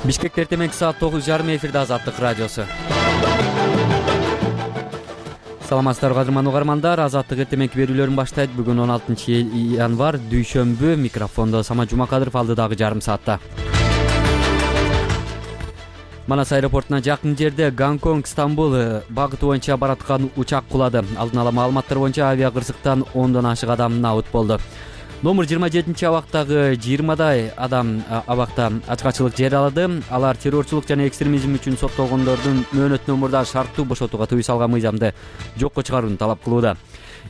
Бишкекте эртең саат 9:30 эфирде Азаттык радиосу. Саламатсыздарбы кадырман угармандар, Азаттык эртең берүүлөрүн баштайт. Бүгүн 16 январь дүйшөмбү. Микрофондо Самат Жумакадыров алдыдагы жарым саатта. Манас аэропортуна жакын жерде Гонконг Стамбул багыты боюнча бараткан учак кулады. Алдын ала маалыматтар боюнча авиа кырсыктан 10дон ашык адам набыт болду. Номер 27 абактагы 20дай адам абакта ачкачылык жарыялады. Алар террорчулук жана экстремизм үчүн соттолгондордун мөөнөтүнөн мурда шарттуу бошотууга тыюу салган мыйзамды жокко чыгарууну талап кылууда.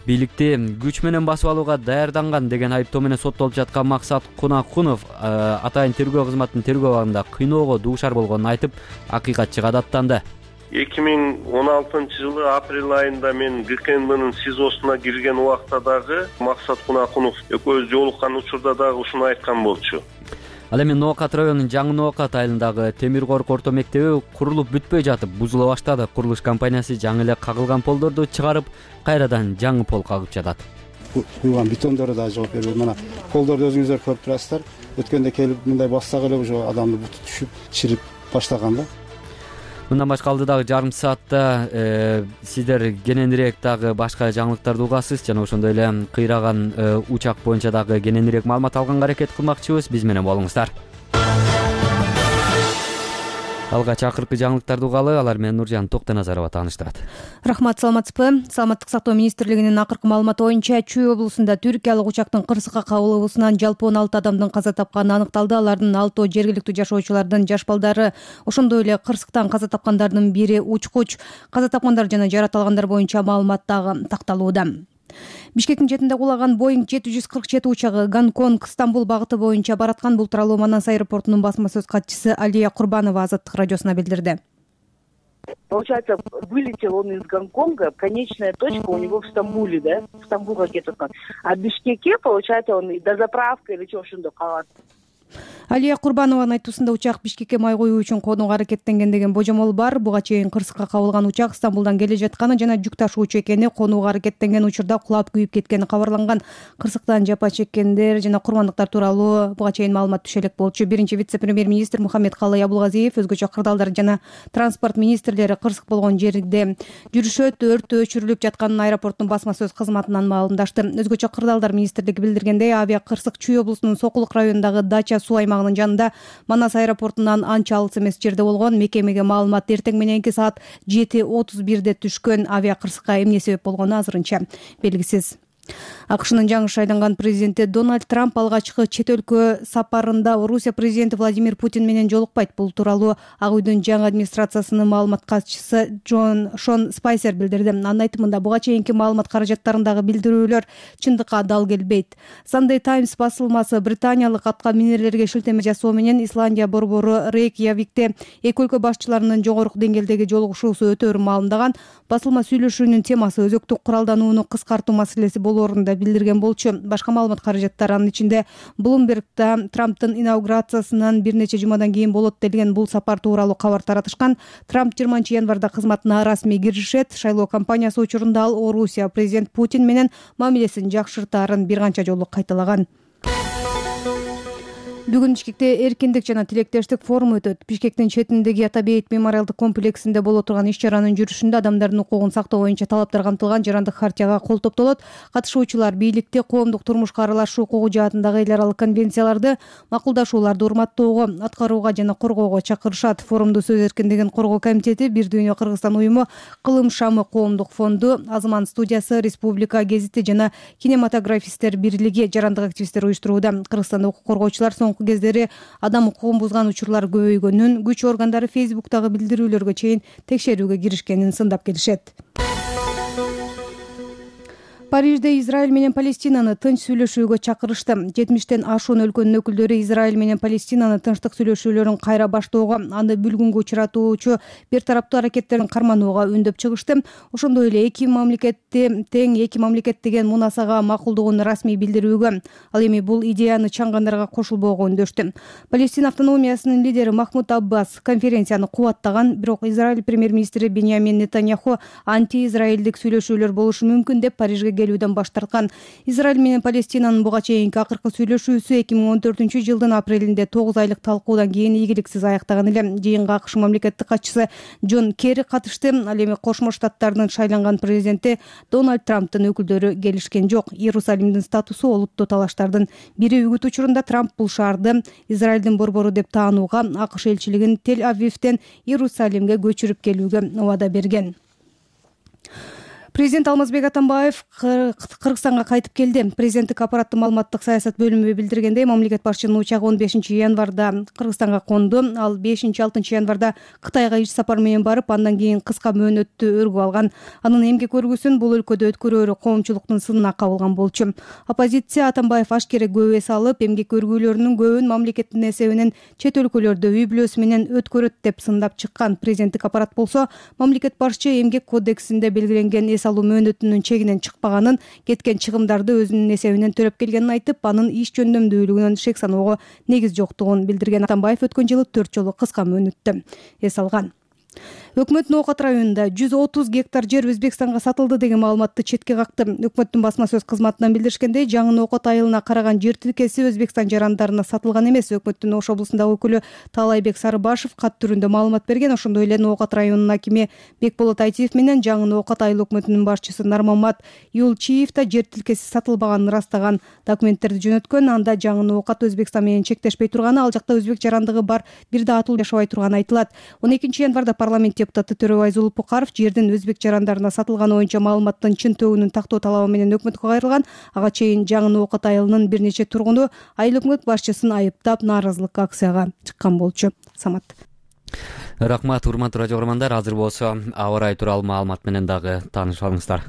Бийликти күч менен басып алууга даярданган деген айыптоо менен соттолуп жаткан Максат Кунакунов атайын тергөө кызматынын тергөө абагында кыйноого дуушар болгонун айтып, акыйкатчыга даттанды. 2016 жылы апрель айында мен ГКНБнын СИЗОсуна кирген убакта дагы Максат Кунакунов экөөбүз жолуккан учурда дагы ушуну айткан болчу. Ал эми Ноокат районунун Жаңы Ноокат айылындагы Темир Корк орто мектеби курулуп бүтпөй жатып бузула баштады. Курулуш компаниясы жаңы эле кагылган полдорду чыгарып, кайрадан жаңы пол кагып жатат. Куйган бетондору да жооп бербейт. Мына полдорду өзүңүздөр көрүп турасыздар. Өткөндө келип мындай бассак эле уже адамды буту түшүп, чирип баштаган да. Мындан башка алдыдагы жарым саатта сиздер кененирээк дагы башка жаңылыктарды угасыз жана ошондой эле кыйраган учак боюнча дагы кененирээк маалымат алганга аракет кылмакчыбыз. Биз менен болуңуздар. Алгач акыркы жаңылыктарды угалы, алар менен Нуржан Токтоназарова тааныштырат. Рахмат, саламатсызбы? Саламаттык сактоо министрлигинин акыркы маалыматы боюнча Чүй облусунда түркиялык учактын кырсыкка кабылуусунан жалпы 16 адамдын каза тапканы аныкталды. Алардын 6 жергиликтүү жашоочулардын жаш балдары, ошондой эле кырсыктан каза тапкандардын бири учкуч. Каза тапкандар жана жаратылгандар боюнча маалымат дагы такталууда. Бишкектин четинде кулаган Boeing 747 учагы Гонконг Стамбул багыты боюнча бараткан. Бул тууралуу Манас аэропортунун басма сөз катчысы Алия Курбанова Азаттык радиосуна билдирди. Получается, вылетел он из Гонконга, конечная точка у него в Стамбуле, да? В Стамбулга кетип аткан. А в Бишкекке, получается, он до заправка или чего ошондо калат. Алия Курбанованын айтуусунда учак Бишкекке май коюу үчүн конууга аракеттенген деген божомол бар. Буга чейин кырсыкка кабылган учак Стамбулдан келе жатканы жана жүк ташуучу экени, конууга аракеттенген учурда кулап күйүп кеткени кабарланган. Кырсыктан жапа чеккендер жана курмандыктар тууралуу буга чейин маалымат түшө элек болчу. Биринчи вице-премьер-министр Мухаммед Калай Абулгазиев, өзгөчө кырдаалдар жана транспорт министрлери кырсык болгон жерде жүрүшөт. Өрттү өчүрүлүп жатканын аэропорттун басма сөз кызматынан маалымдашты. Өзгөчө кырдаалдар министрлиги билдиргендей, авиа кырсык Чүй облусунун Сокулук районундагы Дача суу аймагынын жанында Манас аэропортунан анча алыс эмес жерде болгон. Мекемеге маалымат эртең мененки саат 7:31 түшкөн. Авиа кырсыкка эмне себеп болгону азырынча белгисиз. АКШнын жаңы шайланган президенти Дональд Трамп алгачкы чет өлкө сапарында Орусия президенти Владимир Путин менен жолукпайт. Бул тууралуу Ак үйдүн жаңы администрациясынын маалымат катчысы Шон Спайсер билдирди. Анын айтымында буга чейинки маалымат каражаттарындагы билдирүүлөр чындыкка дал келбейт. Sunday Times басылмасы британиялык атка минерлерге шилтеме жасоо менен Исландия борбору Рейкьявикте эки өлкө башчыларынын жогорку деңгээлдеги жолугушуусу өтөөрүн маалымдаган. Басылма сүйлөшүүнүн темасы өзөктүк куралданууну кыскартуу маселеси болоорунда билдирген болчу. Башка маалымат каражаттар анын ичинде Bloomberg'да Трамптын инаугурациясынан бир нече жумадан кийин болот делген бул сапар тууралуу кабар таратышкан. Трамп 20 январда кызматына расмий киришет. Шайлоо кампаниясы учурунда ал Орусия президент Путин менен мамилесин жакшыртаарын бир канча жолу кайталаган. Бүгүн Бишкекте эркиндик жана тилектештик форуму өтөт. Бишкектин четиндеги Ата Бейит мемориалдык комплексинде боло турган иш-чаранын жүрүшүндө адамдардын укугун сактоо боюнча талаптар камтылган жарандык хартияга кол топтолот. Катышуучулар бийликти, коомдук турмушка аралашуу укугу жаатындагы эл аралык конвенцияларды, макулдашууларды урматтоого, аткарууга жана коргоого чакырышат. Форумду сөз эркиндигин коргоо комитети, Бир Дүйнө Кыргызстан уюму, Кылым Шамы коомдук фонду, Азман студиясы, Республика гезити жана кинематографисттер бирлиги жарандык активисттер уюштурууда. Кыргызстанда укук коргоочулар соңку кездери адам укугун бузган учурлар көбөйгөнүн, күч органдары Фейсбуктагы билдирүүлөргө чейин текшерүүгө киришкенин сындап келишет. Парижде Израиль менен Палестинаны тынч сүйлөшүүгө чакырышты. 70тен ашуун өлкөнүн өкүлдөрү Израиль менен Палестинаны тынчтык сүйлөшүүлөрүн кайра баштоого, аны бүлгүнгө учуратуучу бир тараптуу аракеттерин карманууга үндөп чыгышты. Ошондой эле эки мамлекетти тең эки мамлекет деген мунасага макулдугун расмий билдирүүгө, ал эми бул идеяны чаңгандарга кошулбоого үндөштү. Палестина автономиясынын лидери Махмуд Аббас конференцияны кубаттаган, бирок Израиль премьер-министри Беньямин Нетаньяху анти-израилдик сүйлөшүүлөр болушу мүмкүн деп Парижге келүүдөн баш тарткан. Израиль менен Палестинанын буга чейинки акыркы сүйлөшүүсү 2014-жылдын апрелинде 9 айлык талкуудан кийин ийгиликсиз аяктаган эле. Жыйынга АКШ мамлекеттик катчысы Джон Керри катышты. Ал эми Кошмо Штаттардын шайланган президенти Дональд Трамптын өкүлдөрү келишкен жок. Иерусалимдин статусу олуттуу талаштардын бири. Үгүт учурунда Трамп бул шаарды Израилдин борбору деп таанууга, АКШ элчилигин Тель-Авивден Иерусалимге көчүрүп келүүгө убада берген. Президент Алмазбек Атамбаев Кыргызстанга кайтып келди. Президенттик аппараттын маалыматтык саясат бөлүмү билдиргендей, мамлекет башчынын учагы 15-январда Кыргызстанга конду. Ал 5-6 январда Кытайга иш сапар менен барып, андан кийин кыска мөөнөттү өргүп алган. Анын эмгек өргүсүн бул өлкөдө өткөрөөрү коомчулуктун сынына кабылган болчу. Оппозиция Атамбаев ашкере күбө салып, эмгек өргүүлөрүнүн көбүн мамлекеттин эсебинен чет өлкөлөрдө үй бүлөсү менен өткөрөт деп сындап чыккан. Президенттик аппарат болсо, мамлекет башчы эмгек кодексинде белгиленген алуу мөөнөтүнүн чегинен чыкпаганын, кеткен чыгымдарды өзүнүн эсебинен төлөп келгенин айтып, анын иш жөндөмдүүлүгүнөн шек саноого негиз жоктугун билдирген. Атамбаев өткөн жылы 4 жолу кыска мөөнөттө эс алган. Өкмөт Ноокат районунда 130 гектар жер Өзбекстанга сатылды деген маалыматты четке какты. Өкмөттүн басма сөз кызматынан билдиришкендей, Жаңы Ноокат айылына караган жер тилкеси Өзбекстан жарандарына сатылган эмес. Өкмөттүн Ош облусундагы өкүлү Таалайбек Сарыбашев кат түрүндө маалымат берген. Ошондой эле Ноокат районунун акими Бекболот Айтиев менен Жаңы Ноокат айыл өкмөтүнүн башчысы Нармамат Юлчиев да жер тилкеси сатылбаганын ырастаган документтерди жөнөткөн. Анда Жаңы Ноокат Өзбекстан менен чектешпей турганы, ал жакта өзбек жарандыгы бар, бир да атуу жашабай турганы айтылат. 12-январда парламент депутаты Төрөбай Зулупукаров жердин өзбек жарандарына сатылганы боюнча маалыматтын чын төбүнүн тактоо талабы менен өкмөткө кайрылган. Ага чейин Жаңы Ноокат айылынын бир нече тургуну айыл өкмөт башчысын айыптап нааразылык акцияга чыккан болчу. Самат. Рахмат, урматтуу радио көрөрмандар. Азыр болсо аба ырайы тууралуу маалымат менен дагы таанышып алыңыздар.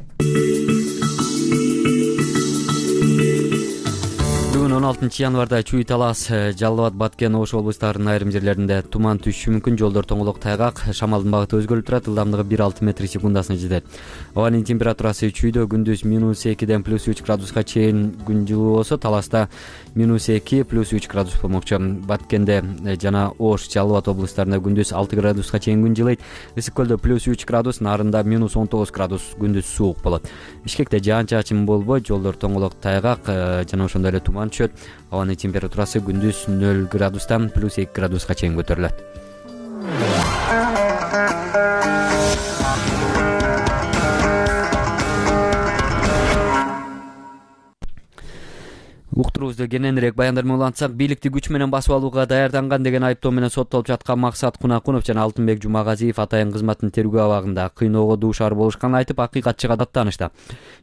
Бүгүн 16-январда Чүй Талас, Жалал Абад, Баткен, Ош облустарынын айрым жерлеринде туман түшүшү мүмкүн. Жолдор тоңолок, тайгак, шамалдын багыты өзгөрүп турат. Ылдамдыгы 1-6 метр секундасына жетет. Абанын температурасы Чүйдө күндүз -2-ден +3 градуска чейин күн жылуу болсо, Таласта -2 +3 градус болмокчу. Баткенде жана Ош, Жалал Абад облустарында күндүз 6 градуска чейин күн жылыйт. Ысык көлдө +3 градус, Нарында -19 градус күндүз суук болот. Бишкекте жаан-чачын болбойт, жолдор тоңолок, тайгак жана ошондой эле туман түшөт. Абанын температурасы күндүз 0 градустан +2 градуска чейин көтөрүлөт. Уктуруубузду кененирээк баяндар улантсак, бийликти күч менен басып алууга даярданган деген айыптоо менен соттолуп жаткан Максат Кунакунов жана Алтынбек Жумагазиев атайын кызматтын тергөө абагында кыйноого дуушар болушканын айтып, акыйкатчыга даттанышты.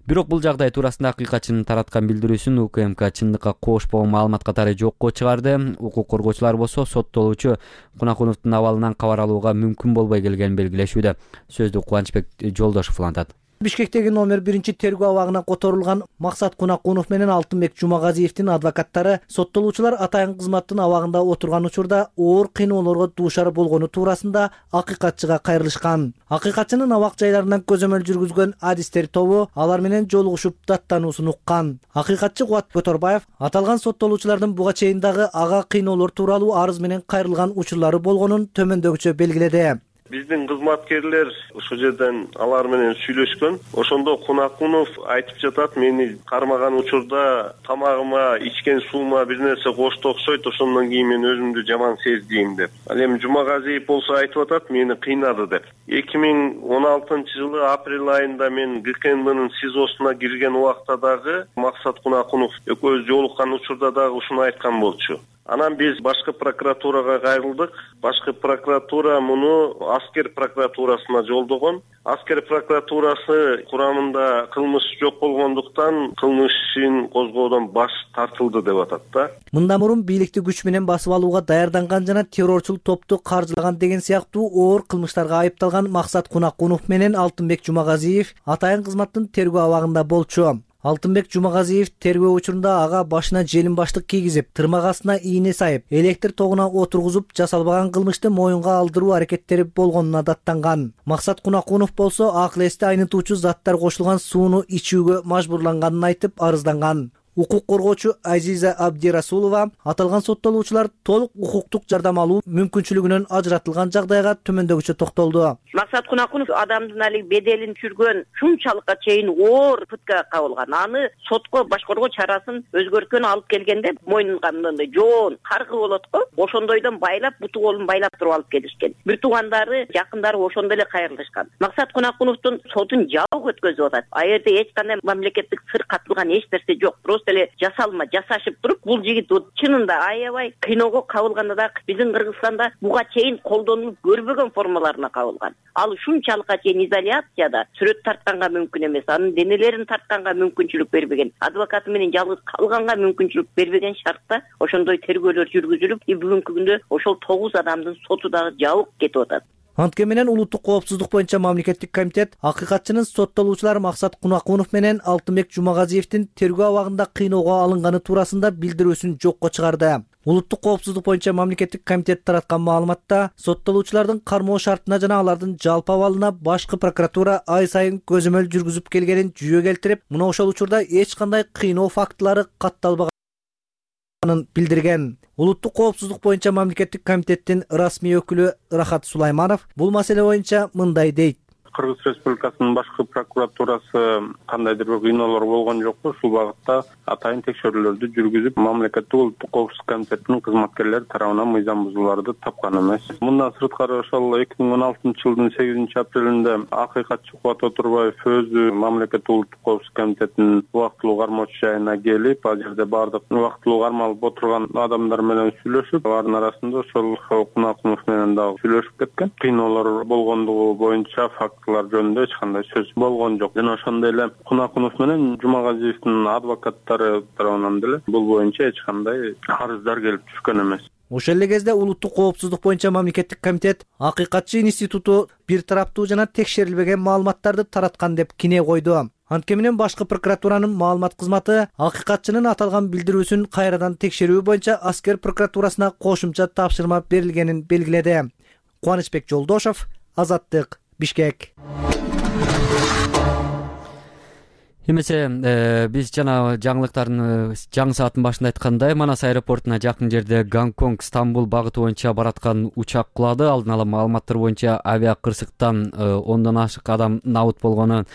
Бирок бул жагдай туурасында акыйкатчынын тараткан билдирүүсүн УКМК чындыкка кошпогон маалымат катары жокко чыгарды. Укук коргоочулар болсо соттолуучу Кунакуновдун абалынан кабар алууга мүмкүн болбой келгенин белгилешүүдө. Сөздү Кубанычбек Жолдошов улантат. Бишкектеги номер 1 тергөө абагына которулган Максат Кунакунов менен Алтынбек Жумагазиевдин адвокаттары соттолуучулар атайын кызматтын абагында отурган учурда оор кыйноолорго дуушар болгону туурасында акыйкатчыга кайрылышкан. Акыйкатчынын абак жайларынан көзөмөл жүргүзгөн адистер тобу алар менен жолугушуп даттануусун уккан. Акыйкатчы Кубат Көтөрбаев аталган соттолуучулардын буга чейин дагы ага кыйноолор тууралуу арыз менен кайрылган учурлары болгонун төмөндөгүчө белгиледи. Биздин кызматкерлер ошол жерден алар менен сүйлөшкөн. Ошондо Кунакунов айтып жатат, мени кармаган учурда тамагыма, ичкен суума бир нерсе кошто окшойт, ошондон кийин мен өзүмдү жаман сездим деп. Ал эми Жумагазиев болсо айтып атат, мени кыйнады деп. 2016-жылы апрель айында мен ГКНБнын СИЗОсуна кирген убакта дагы Максат Кунакунов экөөбүз жолуккан учурда дагы ушуну айткан болчу. Анан биз башкы прокуратурага кайрылдык. Башкы прокуратура муну аскер прокуратурасына жолдогон. Аскер прокуратурасы курамында кылмыш жок болгондуктан кылмыш ишин козгоодон баш тартылды деп атат да. Мындан мурун бийликти күч менен басып алууга даярданган жана террорчул топту каржылаган деген сыяктуу оор кылмыштарга айыпталган Максат Кунакунов менен Алтынбек Жумагазиев атайын кызматтын тергөө абагында болчу. Алтынбек Жумагазиев тергөө учурунда ага башына желим баштык кийгизип, тырмак астына ийне сайып, электр тогуна отургузуп жасалбаган кылмышты моюнга алдыруу аракеттери болгонуна даттанган. Максат Кунакунов болсо акыл эсти айнытуучу заттар кошулган сууну ичүүгө мажбурланганын айтып арызданган. укук коргоочу Азиза Абдирасулова аталган соттолуучулар толук укуктук жардам алуу мүмкүнчүлүгүнөн ажыратылган жагдайга төмөндөгүчө токтолду. Максат Кунакунов адамдын али беделин түшүргөн, шунчалыкка чейин оор пытка кабылган. Аны сотко башкаруу чарасын өзгөрткөн алып келгенде мойнунга мындай жоон каргы болот го. Ошондойдон байлап, буту колун байлап туруп алып келишкен. Бир туугандары, жакындары ошондо эле кайрылышкан. Максат Кунакуновдун сотун жабык өткөзүп атат. А жерде эч кандай мамлекеттик сыр катылган эч нерсе жок. Просто эле жасалма жасашып туруп, бул жигит чынында аябай кыйноого кабылганда да биздин Кыргызстанда буга чейин колдонулуп көрбөгөн формаларына кабылган. Ал ушунчалыкка чейин изоляцияда сүрөт тартканга мүмкүн эмес, анын денелерин тартканга мүмкүнчүлүк бербеген, адвокаты менен жалгыз калганга мүмкүнчүлүк бербеген шартта ошондой тергөөлөр жүргүзүлүп, бүгүнкү күндө ошол 9 адамдын соту дагы жабык кетип атат. Антке менен улуттук коопсуздук боюнча мамлекеттик комитет акыйкатчынын соттолуучулар Максат Кунакунов менен Алтынбек Жумагазиевдин тергөө абагында кыйноого алынганы туурасында билдирүүсүн жокко чыгарды. Улуттук коопсуздук боюнча мамлекеттик комитет тараткан маалыматта соттолуучулардын кармоо шартына жана алардын жалпы абалына башкы прокуратура ай сайын көзөмөл жүргүзүп келгенин жүйө келтирип, мына ошол учурда эч кандай кыйноо фактылары катталбаганын билдирген. Улуттук коопсуздук боюнча мамлекеттик комитеттин расмий өкүлү Рахат Сулайманов бул маселе боюнча мындай дейт. Кыргыз Республикасынын башкы прокуратурасы кандайдыр бир кыйноолор болгон жокпу? Ушул багытта атайын текшерүүлөрдү жүргүзүп, мамлекеттик улуттук коопсуздук комитетинин кызматкерлери тарабынан мыйзам бузууларды тапкан эмес. Мындан сырткары ошол 2016-жылдын 8-апрелинде акыйкатчы Кубат Отурбаев өзү мамлекеттик улуттук коопсуздук комитетинин убактылуу кармоочу жайына келип, ал жерде бардык убактылуу кармалып отурган адамдар менен сүйлөшүп, алардын арасында ошол Кунакунов менен дагы сүйлөшүп кеткен. Кыйноолор болгондугу боюнча жөнүндө эч кандай сөз болгон жок. Жана ошондой эле Кунакунов менен Жумагазиевдин адвокаттары тарабынан деле бул боюнча эч кандай арыздар келип түшкөн эмес. Ошол эле кезде улуттук коопсуздук боюнча мамлекеттик комитет акыйкатчы институту бир тараптуу жана текшерилбеген маалыматтарды тараткан деп кине койду. Антке менен башкы прокуратуранын маалымат кызматы акыйкатчынын аталган билдирүүсүн кайрадан текшерүү боюнча аскер прокуратурасына кошумча тапшырма берилгенин белгиледи. Кубанычбек Жолдошов, Азаттык, Бишкек. Эмесе биз жана жаңылыктардын жаңы сааттын башында айткандай, Манас аэропортуна жакын жерде Гонконг Стамбул багыты боюнча бараткан учак кулады. Алдын ала маалыматтар боюнча авиа кырсыктан 10дон ашык адам набыт болгону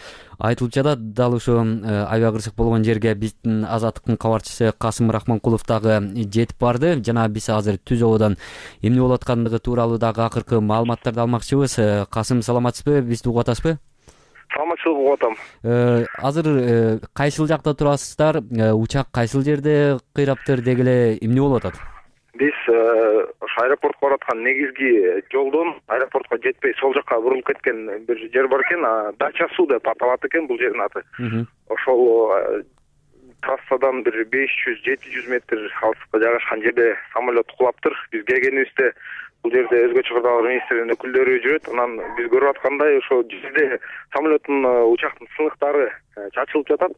айтылып жатат. Дал ушул авиа кырсык болгон жерге биздин Азаттыктын кабарчысы Касым Рахманкулов дагы жетип барды. Жана биз азыр түз абадан эмне болуп аткандыгы тууралуу дагы акыркы маалыматтарды алмакчыбыз. Касым, саламатсызбы? Бизди угуп атасызбы? Саламатчылык угуп атам. Азыр кайсыл жакта турасыздар? Учак кайсыл жерде кыйраптыр, деги эле эмне болуп атат? Биз ошо аэропортко бараткан негизги жолдон аэропортко жетпей сол жакка бурулуп кеткен бир жер бар экен, Дача Суу деп аталат экен бул жердин аты. Ошол трассадан бир 500-700 метр алыскы жайгашкан жерде самолет кулаптыр. Биз келгенибизде бул жерде өзгө чыгырдагы министрдин өкүлдөрү жүрөт. Анан биз көрүп аткандай ошо жерде самолеттун учактын сыныктары чачылып жатат.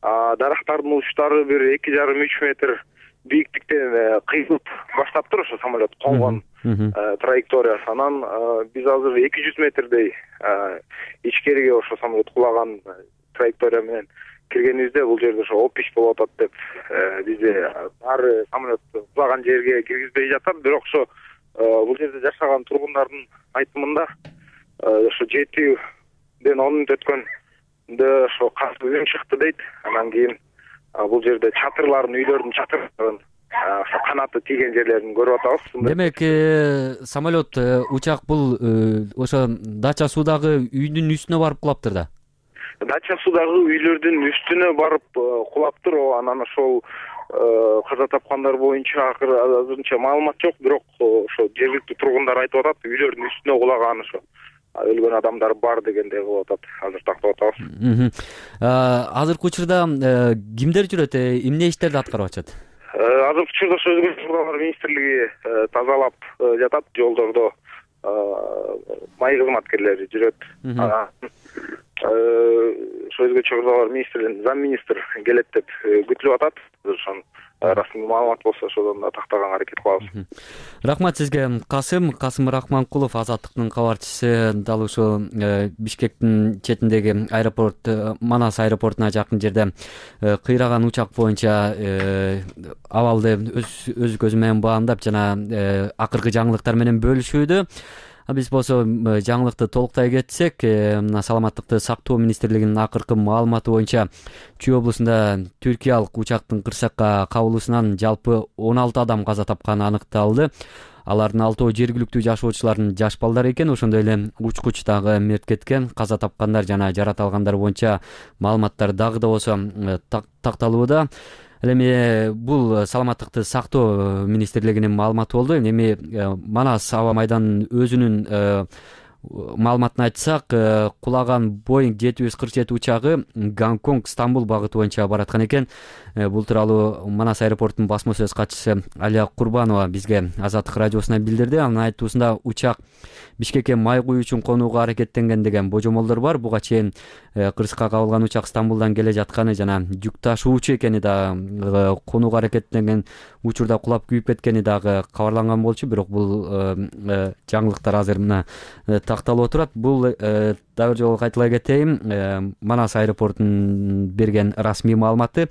Дарактардын учтары бир 2,5-3 метр бийиктиктен кыйылып баштаптыр ошо самолет конгон траекториясы. Анан биз азыр 200 метрдей ичкериге ошо самолет кулаган траектория менен киргенибизде бул жерде ошо опиш болуп атат деп бизди баары самолет кулаган жерге киргизбей жатат. Бирок ошо бул жерде жашаган тургундардын айтымында ошо 7ден 10 мүнөт өткөндө ошо касып чыкты дейт. Анан кийин бул жерде чатырларын, үйлөрдүн чатырларын, ошо канаты тийген жерлерин көрүп атабыз. Демек, самолет, учак бул ошо Дача Суудагы үйдүн үстүнө барып кулаптыр да? Дача Суудагы үйлөрдүн үстүнө барып кулаптыр. Анан ошол каза тапкандар боюнча азырынча маалымат жок, бирок ошо жергиликтүү тургундар айтып атат, үйлөрдүн үстүнө кулаган, ошо өлгөн адамдар бар дегендей кылып атат. Азыр тактап атабыз. Азыркы учурда кимдер жүрөт, эмне иштерди аткарып атышат? Азыркы учурда ошо өзгө чыгырдагылар министрлиги тазалап жатат, жолдордо май кызматкерлери жүрөт. ошо өзгөчө кырдаалдар министринин зам министр келет деп күтүлүп атат. Ошон расмий маалымат болсо ошодон да тактаганга аракет кылабыз. Рахмат сизге. Касым Рахманкулов, Азаттыктын кабарчысы, дал ушул Бишкектин четиндеги аэропорт, Манас аэропортуна жакын жерде кыйраган учак боюнча абалды өз көзү менен баамдап жана акыркы жаңылыктар менен бөлүшүүдө. Биз болсо жаңылыкты толуктай кетсек, мына Саламаттыкты сактоо министрлигинин акыркы маалыматы боюнча Чүй облусунда түркиялык учактын кырсыкка кабылуусунан жалпы 16 адам каза тапканы аныкталды. Алардын 6 жергиликтүү жашоочулардын жаш балдар экен. Ошондой эле учкуч дагы мерт кеткен. Каза тапкандар жана жарат алгандар боюнча маалыматтар дагы да болсо такталууда. Эми бул Саламаттыкты сактоо министрлигинин маалыматы болду. Эми Манас аба майданынын өзүнүн маалыматын айтсак, кулаган Boeing 747 учагы Гонконг Стамбул багыты боюнча бараткан экен. Бул тууралуу Манас аэропортунун басма сөз катчысы Алия Курбанова бизге Азаттык радиосуна билдирди. Анын айтуусунда учак Бишкекке май куюу үчүн конууга аракеттенген деген божомолдор бар. Буга чейин кырсыкка кабылган учак Стамбулдан келе жатканы жана жүк ташуучу экени да конууга аракеттенген учурда кулап күйүп кеткени дагы кабарланган болчу. Бирок бул жаңылыктар азыр мына такталып отурат. Бул дагы бир жолу кайталай кетейин. Манас аэропортунун берген расмий маалыматы.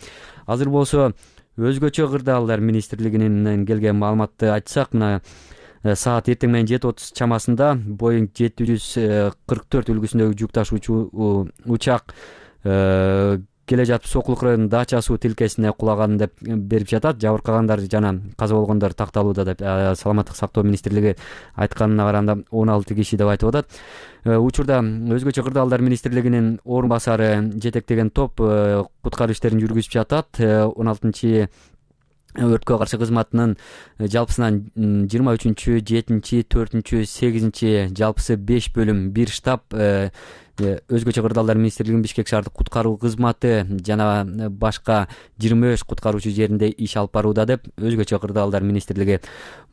Азыр болсо өзгөчө кырдаалдар министрлигинен келген маалыматты айтсак, мына саат эртең менен 7:30 чамасында Boeing 744 үлгүсүндөгү жүк ташуучу учак келе жатып Сокулук районунун Дача суу тилкесине кулаган деп берип жатат. Жабыркагандар жана каза болгондор такталууда деп Саламаттык сактоо министрлиги айтканына караганда 16 киши деп айтып атат. Учурда өзгөчө кырдаалдар министрлигинин орун басары жетектеген топ куткаруу иштерин жүргүзүп жатат. 16 өрткө каршы кызматынын жалпысынан 23-чү, 7-чи, 4-чү, 8-чи жалпысы 5 бөлүм, 1 штаб өзгөчө кырдаалдар министрлигинин Бишкек шаардык куткаруу кызматы жана башка 23 куткаруучу жеринде иш алып барууда деп өзгөчө кырдаалдар министрлиги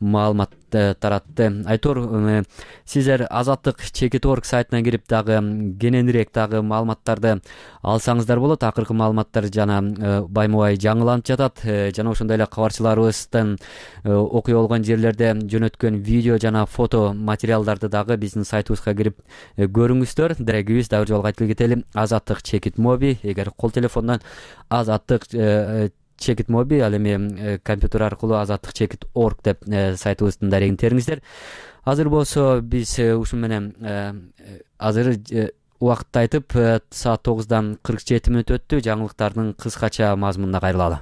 маалымат таратты. Айтор, сиздер Азаттык Чекит.org сайтына кирип дагы кененирээк дагы маалыматтарды алсаңыздар болот. Акыркы маалыматтар жана байма-бай жаңыланып жатат. Жана ошондой эле кабарчыларыбыздын окуя болгон жерлерде жөнөткөн видео жана фото материалдарды дагы биздин сайтыбызга кирип көрүңүздөр. Дерегибиз дагы жолу кайтып кетели. Азаттык Чекит моби. Эгер кол телефондон Азаттык Чекит моби, ал эми компьютер аркылуу Азаттык Чекит.org деп сайтыбыздын дарегин териңиздер. Азыр болсо биз ушун менен азыр убакытты айтып, саат 9:47 өттү. Жаңылыктардын кыскача мазмунуна кайрылалы.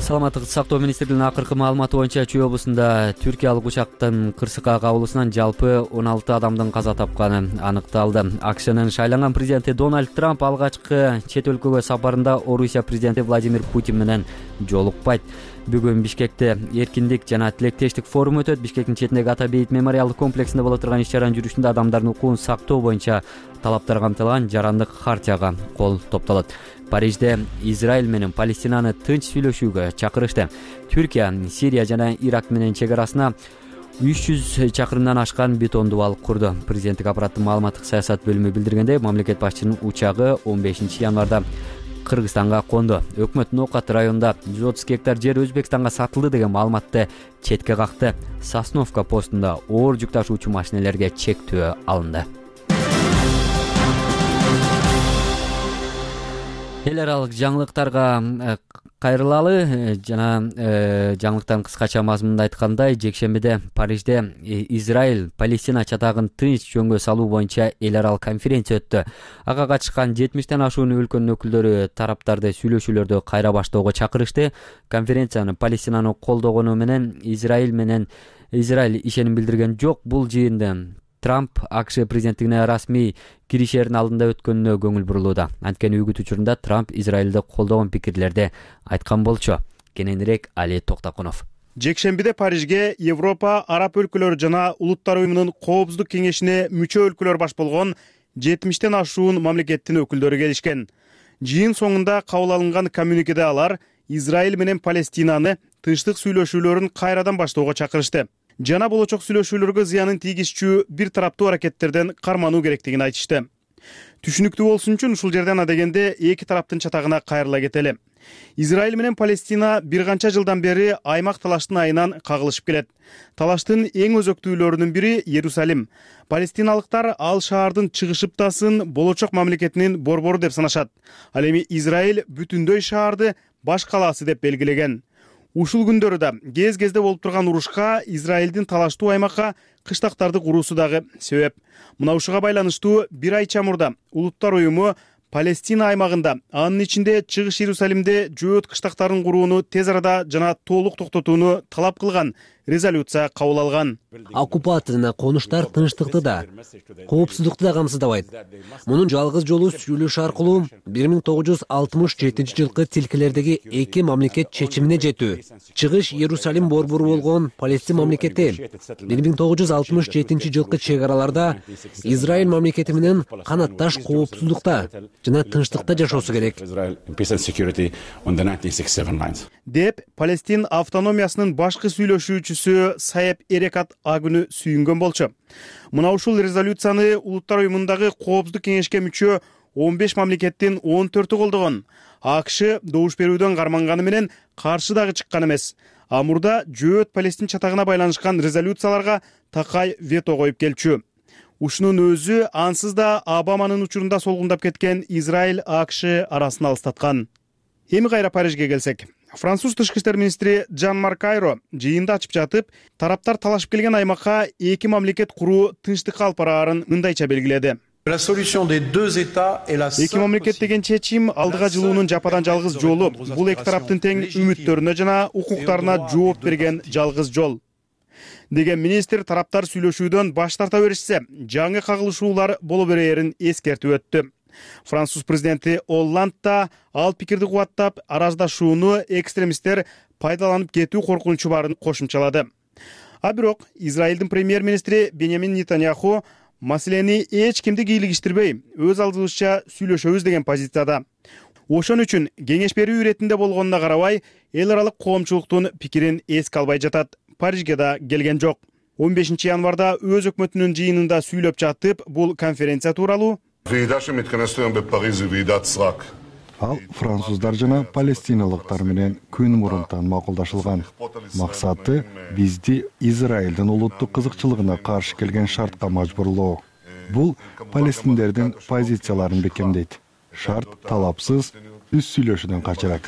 Саламаттык сактоо министрлигинин акыркы маалыматы боюнча Чүй облусунда түркиялык учактын кырсыкка кабылуусунан жалпы 16 адамдын каза тапканы аныкталды. АКШнын шайланган президенти Дональд Трамп алгачкы чет өлкөгө сапарында Орусия президенти Владимир Путин менен жолукпайт. Бүгүн Бишкекте эркиндик жана тилектештик форум өтөт. Бишкектин четиндеги Ата Бейит мемориалдык комплексинде боло турган иш-чаранын жүрүшүндө адамдардын укугун сактоо боюнча талаптар камтылган жарандык хартияга кол топтолот. Парижде Израиль менен Палестинаны тынч сүйлөшүүгө чакырышты. Түркия, Сирия жана Ирак менен чек арасына 300 чакырымдан ашкан бетондуу вал курду. Президенттик аппараттын маалыматтык саясат бөлүмү билдиргендей, мамлекет башчынын учагы 15 январда Кыргызстанга конду. Өкмөт Ноокат районунда 130 гектар жер Өзбекстанга сатылды деген маалыматты четке какты. Сосновка постунда оор жүк ташуучу машинелерге чектөө алынды. Эл аралык жаңылыктарга кайрылалы жана жаңылыктардын кыскача мазмунунда айткандай, жекшембиде Парижде Израиль Палестина чатагын тынч жөнгө салуу боюнча эл аралык конференция өттү. Ага катышкан 70тен ашуун өлкөнүн өкүлдөрү тараптарды сүйлөшүүлөрдү кайра баштоого чакырышты. Конференцияны Палестинаны колдогону менен Израиль ишеним билдирген жок. Бул жыйында Трамп АКШ президенттигине расмий киришердин алдында өткөнүнө көңүл бурулууда. Анткени үгүт учурунда Трамп Израилди колдогон пикирлерди айткан болчу. Кененирээк Али Токтокунов. Жекшембиде Парижге Европа, Араб өлкөлөрү жана Улуттар уюмунун коопсуздук кеңешине мүчө өлкөлөр баш болгон 70тен ашуун мамлекеттин өкүлдөрү келишкен. Жыйын соңунда кабыл алынган коммюникеде алар Израиль менен Палестинаны тынчтык сүйлөшүүлөрүн кайрадан баштоого чакырышты жана болочок сүйлөшүүлөргө зыянын тийгизчү бир тараптуу аракеттерден кармануу керектигин айтышты. Түшүнүктүү болсун үчүн ушул жерден адегенде эки тараптын чатагына кайрыла кетели. Израиль менен Палестина бир канча жылдан бери аймак талаштын айынан кагылышып келет. Талаштын эң өзөктүүлөрүнүн бири Иерусалим. Палестиналыктар ал шаардын чыгышыптасын болочок мамлекетинин борбору деп санашат. Ал эми Израиль бүтүндөй шаарды баш калаасы деп белгилеген. Ушул күндөрү да кез-кезде болуп турган урушка Израилдин талаштуу аймакка кыштактарды куруусу дагы себеп. Мына ушуга байланыштуу бир ай чамурда Улуттар уюму Палестина аймагында, анын ичинде Чыгыш Иерусалимде жөөт кыштактарын курууну тез арада жана толук токтотууну талап кылган резолюция кабыл алган. Оккупация жана конуштар тынчтыкты да, коопсуздукту да камсыздабайт. Мунун жалгыз жолу сүйлөшүү аркылуу 1967 жылкы тилкелердеги эки мамлекет чечимине жетүү. Чыгыш Иерусалим борбору болгон Палестин мамлекети 1967 жылкы чек араларда Израиль мамлекети менен канатташ коопсуздукта жана тынчтыкта жашоосу керек. Деп Палестин автономиясынын башкы сүйлөшүүчүсү Саеп Эрекат агүнү сүйүнгөн болчу. Мына ушул резолюцияны Улуттар уюмундагы Коопсуздук кеңешке мүчө 15 мамлекеттин 14-ü колдогон. АКШ добуш берүүдөн карманганы менен каршы дагы чыккан эмес. Амурда жөөт Палестин чатагына байланышкан резолюцияларга такай вето коюп келчү. Ушунун өзү ансыз да Обаманын учурунда солгундап кеткен Израиль АКШ арасын алыстаткан. Эми кайра Парижге келсек. Француз тышкы иштер министри Жан-Марк Айро жыйынды ачып жатып, тараптар талашып келген аймакка эки мамлекет куруу тынчтыкка алып бараарын мындайча белгиледи. Эки мамлекет деген чечим алдыга жылуунун жападан жалгыз жолу. Бул эки тараптын тең үмүттөрүнө жана укуктарына жооп берген жалгыз жол. Деген министр тараптар сүйлөшүүдөн баш тарта беришсе, жаңы кагылышуулар боло берээрин эскертип өттү. Француз президенти Олланд да ал пикирди кубаттап, араздашууну экстремисттер пайдаланып кетүү коркунучу барын кошумчалады. А бирок Израилдин премьер-министри Беньямин Нетаньяху маселени эч кимди кийлигиштирбей, өз алдыбызча сүйлөшөбүз деген позицияда. Ошон үчүн кеңеш берүү иретинде болгонуна карабай, эл аралык коомчулуктун пикирин эске албай жатат. Парижге да келген жок. 15 январда өз өкмөтүнүн жыйынында сүйлөп жатып, бул конференция тууралуу ал француздар жана палестиналыктар менен күн мурунтан макулдашылган. Максаты бизди Израилдин улуттук кызыкчылыгына каршы келген шартка мажбурлоо. Бул палестиндердин позицияларын бекемдейт. Шарт талапсыз үз сүйлөшүүдөн качырат,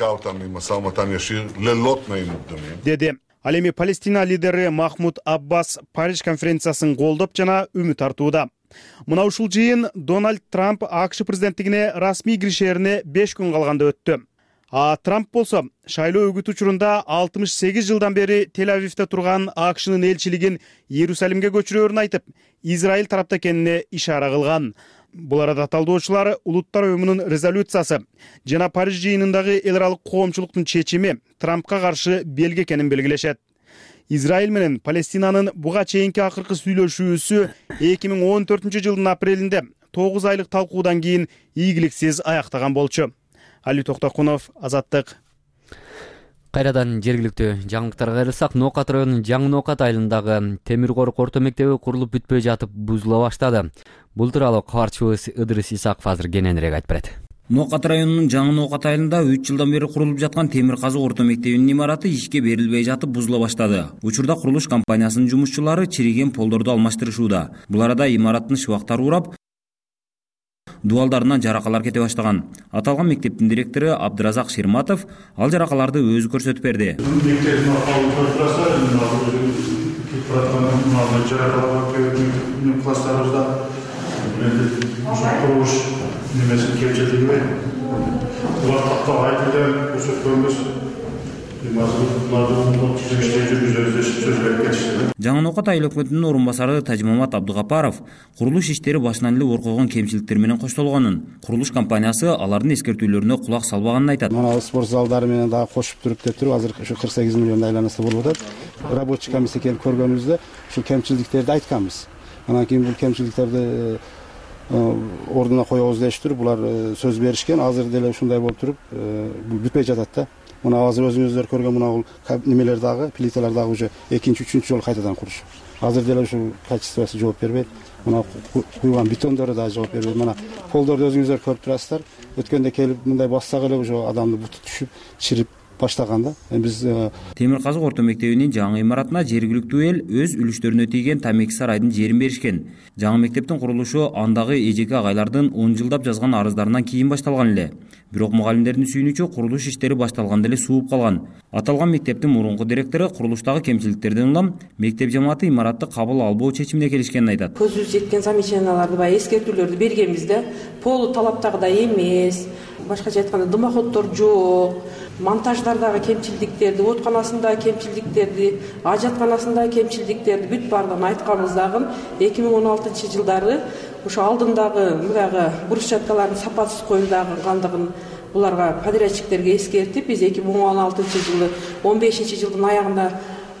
деди. Ал эми Палестина лидери Махмуд Аббас Париж конференциясын колдоп жана үмүт артууда. Мына ушул жыйын Дональд Трамп АКШ президенттигине расмий киришерине 5 күн калганда өттү. А Трамп болсо шайлоо өгүт учурунда 68 жылдан бери Тель-Авивде турган АКШнын элчилигин Иерусалимге көчүрөөрүн айтып, Израиль тарапта экенине ишара кылган. Бул арада талдоочулар Улуттар уюмунун резолюциясы жана Париж жыйынындагы эл аралык коомчулуктун чечими Трампка каршы белги экенин белгилешет. Израиль менен Палестинанын буга чейинки акыркы сүйлөшүүсү 2014 жылдын апрелинде 9 айлык талкуудан кийин ийгиликсиз аяктаган болчу. Али Токтокунов, Азаттык. Кайрадан жергиликтүү жаңылыктарга кайрылсак, Ноокат районунун Жаңы Ноокат айылындагы темир корук орто мектеби курулуп бүтпөй жатып бузула баштады. Бул тууралуу кабарчыбыз Ыдырыс Исаков азыр кененирээк айтып берет. Ноокат районунун Жаңы Ноокат айылында 3 жылдан бери курулуп жаткан темир казык орто мектебинин имараты ишке берилбей жатып бузула баштады. Учурда курулуш компаниясынын жумушчулары чириген полдорду алмаштырышууда. Бул арада имараттын шыбактары урап, дубалдарынан жаракалар кете баштаган. Аталган мектептин директору Абдыразак Ширматов ал жаракаларды өзү көрсөтүп берди. Жаңы Ноокат айыл өкмөтүнүн орун басары Тажмамат Абдыгапаров курулуш иштери башынан эле ор койгон кемчиликтер менен коштолгонун, курулуш компаниясы алардын эскертүүлөрүнө кулак салбаганын айтат. Мына спорт залдары менен дагы кошуп туруп деп туруп, азыр ушу 48 миллион айланасы болуп атат. Рабочий комиссия келип көргөнүбүздө ушу кемчиликтерди айтканбыз. Анан кийин бул кемчиликтерди ордуна коебуз дештир, булар сөз беришкен. Азыр деле ушундай болуп туруп, бул бүтпөй жатат да. мына азыр өзүңүздөр көргөн мына бул немелер дагы, плиталар дагы уже экинчи, үчүнчү жолу кайтадан курушуу. Азыр деле ушул качествосу жооп бербейт. Мына куйган бетондору да жооп бербейт. Мына полдорду өзүңүздөр көрүп турасыздар. Өткөндө келип мындай бассак эле уже адамдын буту түшүп, чирип баштаган да. Биз Темир казык орто мектебинин жаңы имаратына жергиликтүү эл өз үлүштөрүнө тийген Тамеки сарайдын жерин беришкен. Жаңы мектептин курулушу андагы эжеке агайлардын 10 жылдап жазган арыздарынан кийин башталган эле. Бирок мугалимдердин сүйүнүчү курулуш иштери башталганда эле сууп калган. Аталган мектептин мурунку директору курулуштагы кемчиликтерден улам мектеп жамааты имаратты кабыл албоо чечимине келишкенин айтат. Көзүбүз жеткен замечанияларды, баягы эскертүүлөрдү бергенбиз да. Полу талаптагыдай эмес, башкача айтканда дымоходдор жок, монтаждардагы кемчилдиктерди, оотканасындагы кемчилдиктерди, ажатканасындагы кемчилдиктерди бүт баардыгын айтканбыз дагы 2016-жылдары ошо алдындагы мындагы брусчаткалардын сапатсыз коюлгандыгын буларга подрядчиктерге эскертип, биз 2016-жылы 15-жылдын аягында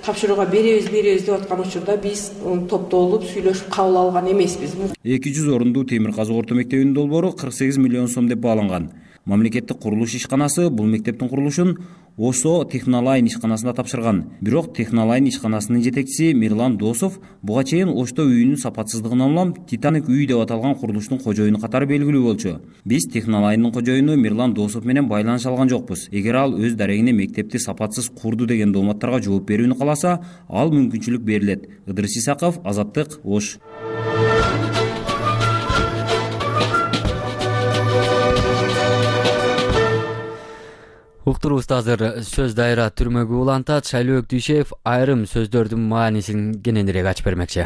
тапшырууга беребиз деп аткан учурда биз топтолуп сүйлөшүп кабыл алган эмеспиз. 200 орундуу Темир казык орто мектебинин долбоору 48 миллион сом деп бааланган. Мамлекеттик курулуш ишканасы бул мектептин курулушун ОСО Технолайн ишканасына тапшырган. Бирок Технолайн ишканасынын жетекчиси Мирлан Досов буга чейин Ошто үйүнүн сапатсыздыгынан улам Титаник үй деп аталган курулуштун кожоюну катары белгилүү болчу. Биз Технолайндын кожоюну Мирлан Досов менен байланыша алган жокпуз. Эгер ал өз дарегине мектепти сапатсыз курду деген дооматтарга жооп берүүнү кааласа, ал мүмкүнчүлүк берилет. Ыдырыс Исаков, Азаттык, Ош. Уктурубузда азыр сөз дайра түрмөгү улантат. Шайлоок Дүйшеев айрым сөздөрдүн маанисин кененирээк ачып бермекчи.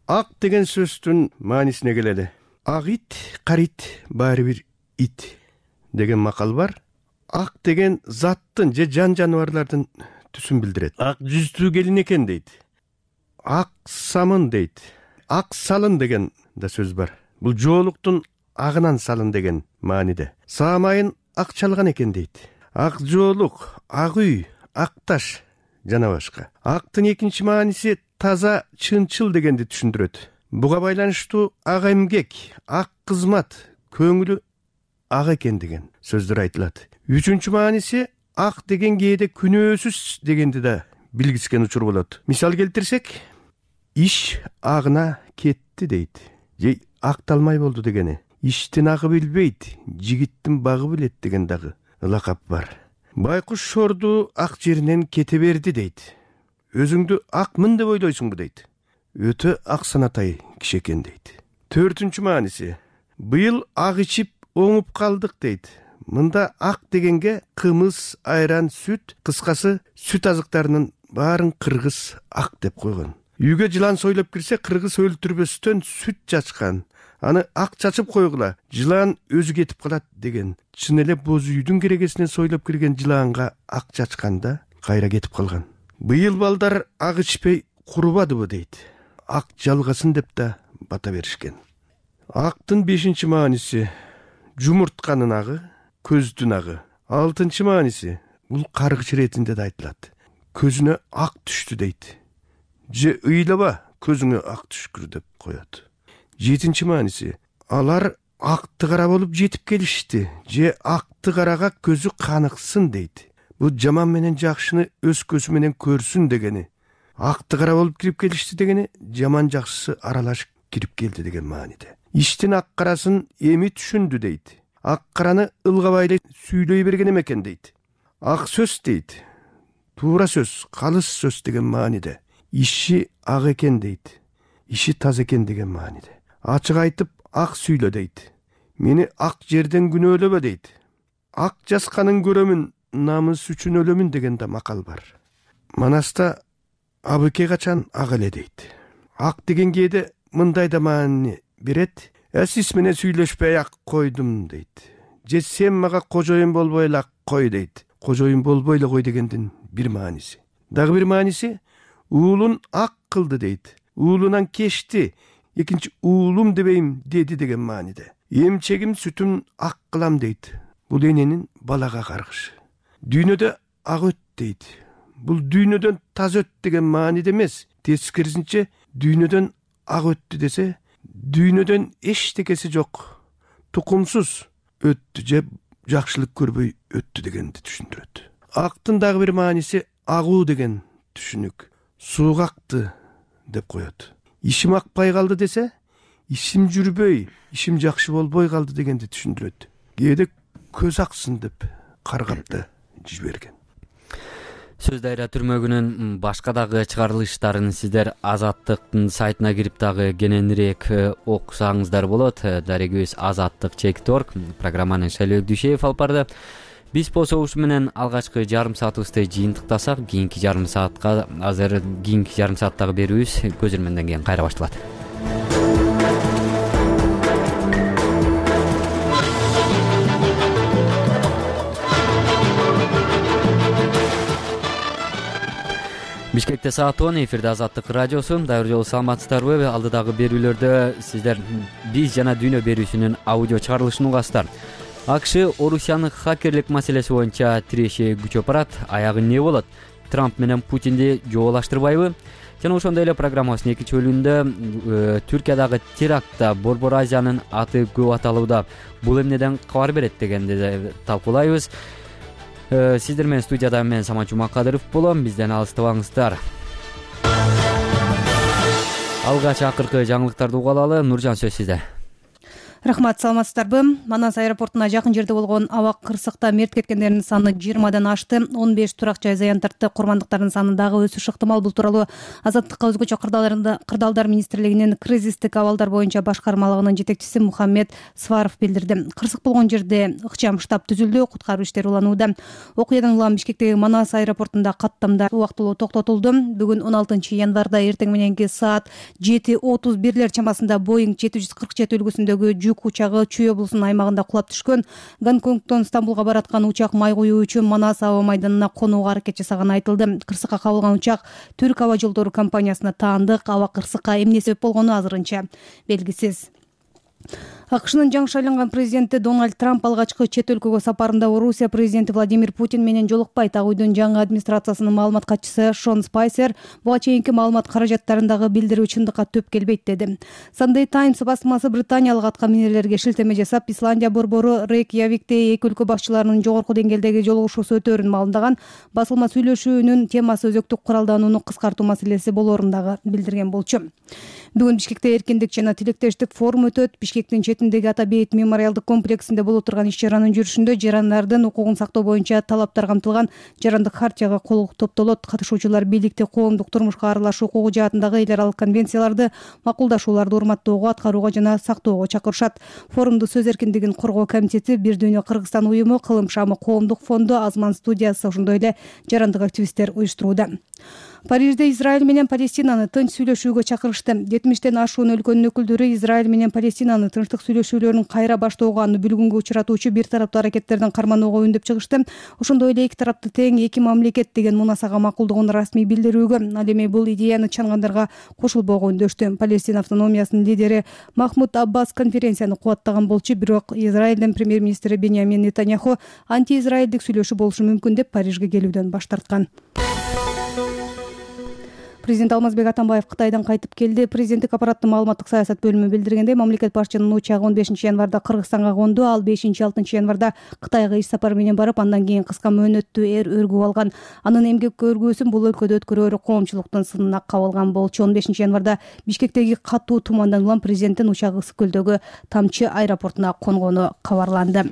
Ак деген сөздүн маанисине келели. Ак ит, кара ит баары бир ит деген макал бар. Ак деген заттын же жан жаныбарлардын түсүн билдирет. Ак жүздүү келин экен дейт. Ак самын дейт. Ак салын деген да сөз бар. Бул жоолуктун агынан салын деген мааниде. Саамайын ак чалган экен дейт. Ак жоолук, ак үй, ак таш жана башка. Актын экинчи мааниси таза, чынчыл дегенди түшүндүрөт. Буга байланыштуу ак эмгек, ак кызмат, көңүлү ак экен деген сөздөр айтылат. Үчүнчү мааниси ак деген кээде күнөөсүз дегенди да билгискен учур болот. Мисал келтирсек, иш агына кетти дейт. Же акталмай болду дегени. Иштин агы билбейт, жигиттин багы билет деген дагы ылакап бар. Байкуш шорду ак жеринен кете берди дейт. Өзүңдү акмын деп ойлойсуңбу дейт. Өтө ак санатай киши экен дейт. Төртүнчү мааниси быйыл ак ичип оңуп калдык дейт. Мында ак дегенге кымыз, айран, сүт, кыскасы сүт азыктарынын баарын кыргыз ак деп койгон. Үйгө жылан сойлоп кирсе, кыргыз өлтүрбөстөн сүт чачкан. Аны ак чачып койгула, жылан өзү кетип калат деген. Чын эле боз үйдүн керегесинен сойлоп кирген жылаанга ак чачканда кайра кетип калган. Быйыл балдар ак ичпей курубадыбы дейт. Ак жалгасын деп да бата беришкен. Актын 5-чи мааниси жумуртканын агы, көздүн агы. 6-чы мааниси бул каргыч иретинде да айтылат. Көзүнө ак түштү дейт. Же ыйлаба, көзүңө ак түшкүр деп коет. 7-чи мааниси алар акты кара болуп жетип келишти. Же акты карага көзү каныксын дейт. Бул жаман менен жакшыны өз көзү менен көрсүн дегени. Акты кара болуп кирип келишти дегени, жаман жакшысы аралашып кирип келди деген мааниде. Иштин ак карасын эми түшүндү дейт. Ак караны ылгабай эле сүйлөй берген экен дейт. Ак сөз дейт. Туура сөз, калыс сөз деген мааниде. Иши ак экен дейт. Иши таза экен деген мааниде. Ачык айтып ак сүйлө дейт. Мени ак жерден күнөөлөбө дейт. Ак жасканын көрөмүн, намыс үчүн өлөмүн деген да макал бар. Манаста абыке качан ак эле дейт. Ак деген кээде мындай да маани берет. Сиз менен сүйлөшпөй ак койдум дейт. Же сен мага кожоюн болбой эле ак кой дейт. Кожоюн болбой эле кой дегендин бир мааниси. Дагы бир мааниси уулун ак кылды дейт. Уулунан кечти. Экинчи уулум дебейм деди деген мааниде. Эмчегим сүтүн ак кылам дейт. Бул эненин балага каргышы. Дүйнөдө ак өт дейт. Бул дүйнөдөн таза өт деген мааниде эмес. Тескерисинче дүйнөдөн ак өттү десе, дүйнөдөн эчтекеси жок, тукумсуз өттү же жакшылык көрбөй өттү дегенди түшүндүрөт. Актын дагы бир мааниси агуу деген түшүнүк. Сууга акты деп коет. Ишим акпай калды десе, ишим жүрбөй, ишим жакшы болбой калды дегенди түшүндүрөт. Кээде көз аксын деп каргап да жиберген. Сөз дайра түрмөгүнүн башка дагы чыгарылыштарын сиздер Азаттыктын сайтына кирип дагы кененирээк окусаңыздар болот. Дарегибиз Азаттык.org программаны Шайлоо Дүйшеев алып барды. Биз болсо ушу менен алгачкы жарым саатыбызды жыйынтыктасак, кийинки жарым сааттагы берүүбүз көз ирменден кийин кайра башталат. Бишкекте саат 10, эфирде Азаттык радиосу. Дайыр жолу саламатсыздарбы? Алдыдагы берүүлөрдө сиздер биз жана дүйнө берүүсүнүн аудио чыгарылышын угасыздар. АКШ Орусиянын хакерлик маселеси боюнча тиреши күчөп барат. Аягы эмне болот? Трамп менен Путинди жоолаштырбайбы? Жана ошондой эле программасынын экинчи бөлүгүндө Түркиядагы терактта Борбор Азиянын аты көп аталууда. Бул эмнеден кабар берет дегенди талкуулайбыз. Сиздер менен студияда мен Самат Жумакадыров болом. Бизден алыстабаңыздар. Алгач акыркы жаңылыктарды угалы. Нуржан, сөз сизде. Рахмат, саламатсыздарбы? Манас аэропортуна жакын жерде болгон аба кырсыкта мерт кеткендердин саны 20дан ашты. 15 турак жай зыян тартты. Курмандыктардын саны дагы өсүш ыктымал. Бул тууралуу Азаттыкка өзгөчө кырдаалдар министрлигинин кризистик абалдар боюнча башкармалыгынын жетекчиси Мухаммед Сваров билдирди. Кырсык болгон жерде ыкчам штаб түзүлдү. Куткаруу иштери уланууда. Окуядан улам Бишкектеги Манас аэропортунда каттамдар убактылуу токтотулду. Бүгүн 16 январда эртең мененки саат 7:31 чамасында Boeing 747 үлгүсүндөгү жүк учагы Чүй облусунун аймагында кулап түшкөн. Гонконгдон Стамбулга бараткан учак май куюу үчүн Манас аба майданына конууга аракет жасаганы айтылды. Кырсыкка кабылган учак Түрк аба жолдору компаниясына таандык. Аба кырсыкка эмне себеп болгону азырынча белгисиз. АКШнын жаңы шайланган президенти Дональд Трамп алгачкы чет өлкөгө сапарында Орусия президенти Владимир Путин менен жолукпайт. Ак үйдүн жаңы администрациясынын маалымат катчысы Шон Спайсер буга чейинки маалымат каражаттарындагы билдирүү чындыкка төп келбейт деди. Sunday Times басмасы британиялык аткаминерлерге шилтеме жасап, Исландия борбору Рейкьявикте эки өлкө башчыларынын жогорку деңгээлдеги жолугушуусу өтөөрүн маалымдаган. Басылма сүйлөшүүнүн темасы өзөктүк куралданууну кыскартуу маселеси болоорун дагы билдирген болчу. Бүгүн Бишкекте эркиндик жана тилектештик форум өтөт. Бишкектин четиндеги Ата Бейит мемориалдык комплексинде болуп турган иш-чаранын жүрүшүндө жарандардын укугун сактоо боюнча талаптар камтылган жарандык хартияга кол топтолот. Катышуучулар бийликти коомдук турмушка аралашуу укугу жаатындагы эл аралык конвенцияларды, макулдашууларды урматтоого, аткарууга жана сактоого чакырышат. Форумду сөз эркиндигин коргоо комитети, Бир дүйнө Кыргызстан уюму, Кылым шамы коомдук фонду, Азман студиясы, ошондой эле жарандык активисттер уюштурууда. Парижде Израиль менен Палестинаны тынч сүйлөшүүгө чакырышты. 70тен ашуун өлкөнүн өкүлдөрү Израиль менен Палестинаны тынчтык сүйлөшүүлөрүн кайра баштоого, аны бүлгүнгө учуратуучу бир тараптуу аракеттердин карманууга үндөп чыгышты. Ошондой эле эки тарапты тең эки мамлекет деген мунасага макулдугун расмий билдирүүгө, ал эми бул идеяны чангандарга кошулбоого үндөштү. Палестин автономиясынын лидери Махмуд Аббас конференцияны кубаттаган болчу, бирок Израилдин премьер-министри Беньямин Нетаньяху антиизраилдик сүйлөшүү болушу мүмкүн деп Парижге келүүдөн баш тарткан. Президент Алмазбек Атамбаев Кытайдан кайтып келди. Президенттик аппараттын маалыматтык саясат бөлүмү билдиргендей, мамлекет башчынын учагы 15 январда Кыргызстанга конду, ал 5-6 январда Кытайга иш сапар менен барып, андан кийин кыска мөөнөттүү өргүп алган. Анын эмгек өргүүсүн бул өлкөдө өткөрөөрү коомчулуктун сынына кабылган болчу. 15 январда Бишкектеги катуу тумандан улам президенттин учагы Ысык көлдөгү Тамчы аэропортуна конгону кабарланды.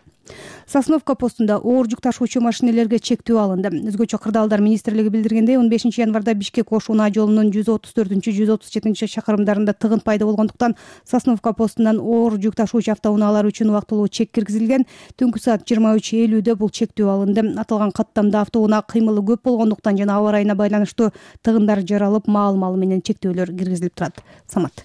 Сосновка постунда оор жүк ташуучу машинелерге чектөө алынды. Өзгөчө кырдаалдар министрлиги билдиргендей, 15 январда Бишкек-Ош-Унаа жолунун 134-137 чакырымдарында тыгын пайда болгондуктан Сосновка постунан оор жүк ташуучу автоунаалар үчүн убактылуу чек киргизилген. Түнкү саат 23:50 бул чектөө алынды. Аталган каттамда автоунаа кыймылы көп болгондуктан жана аба ырайына байланыштуу тыгындар жаралып, маал-маалы менен чектөөлөр киргизилип турат. Самат.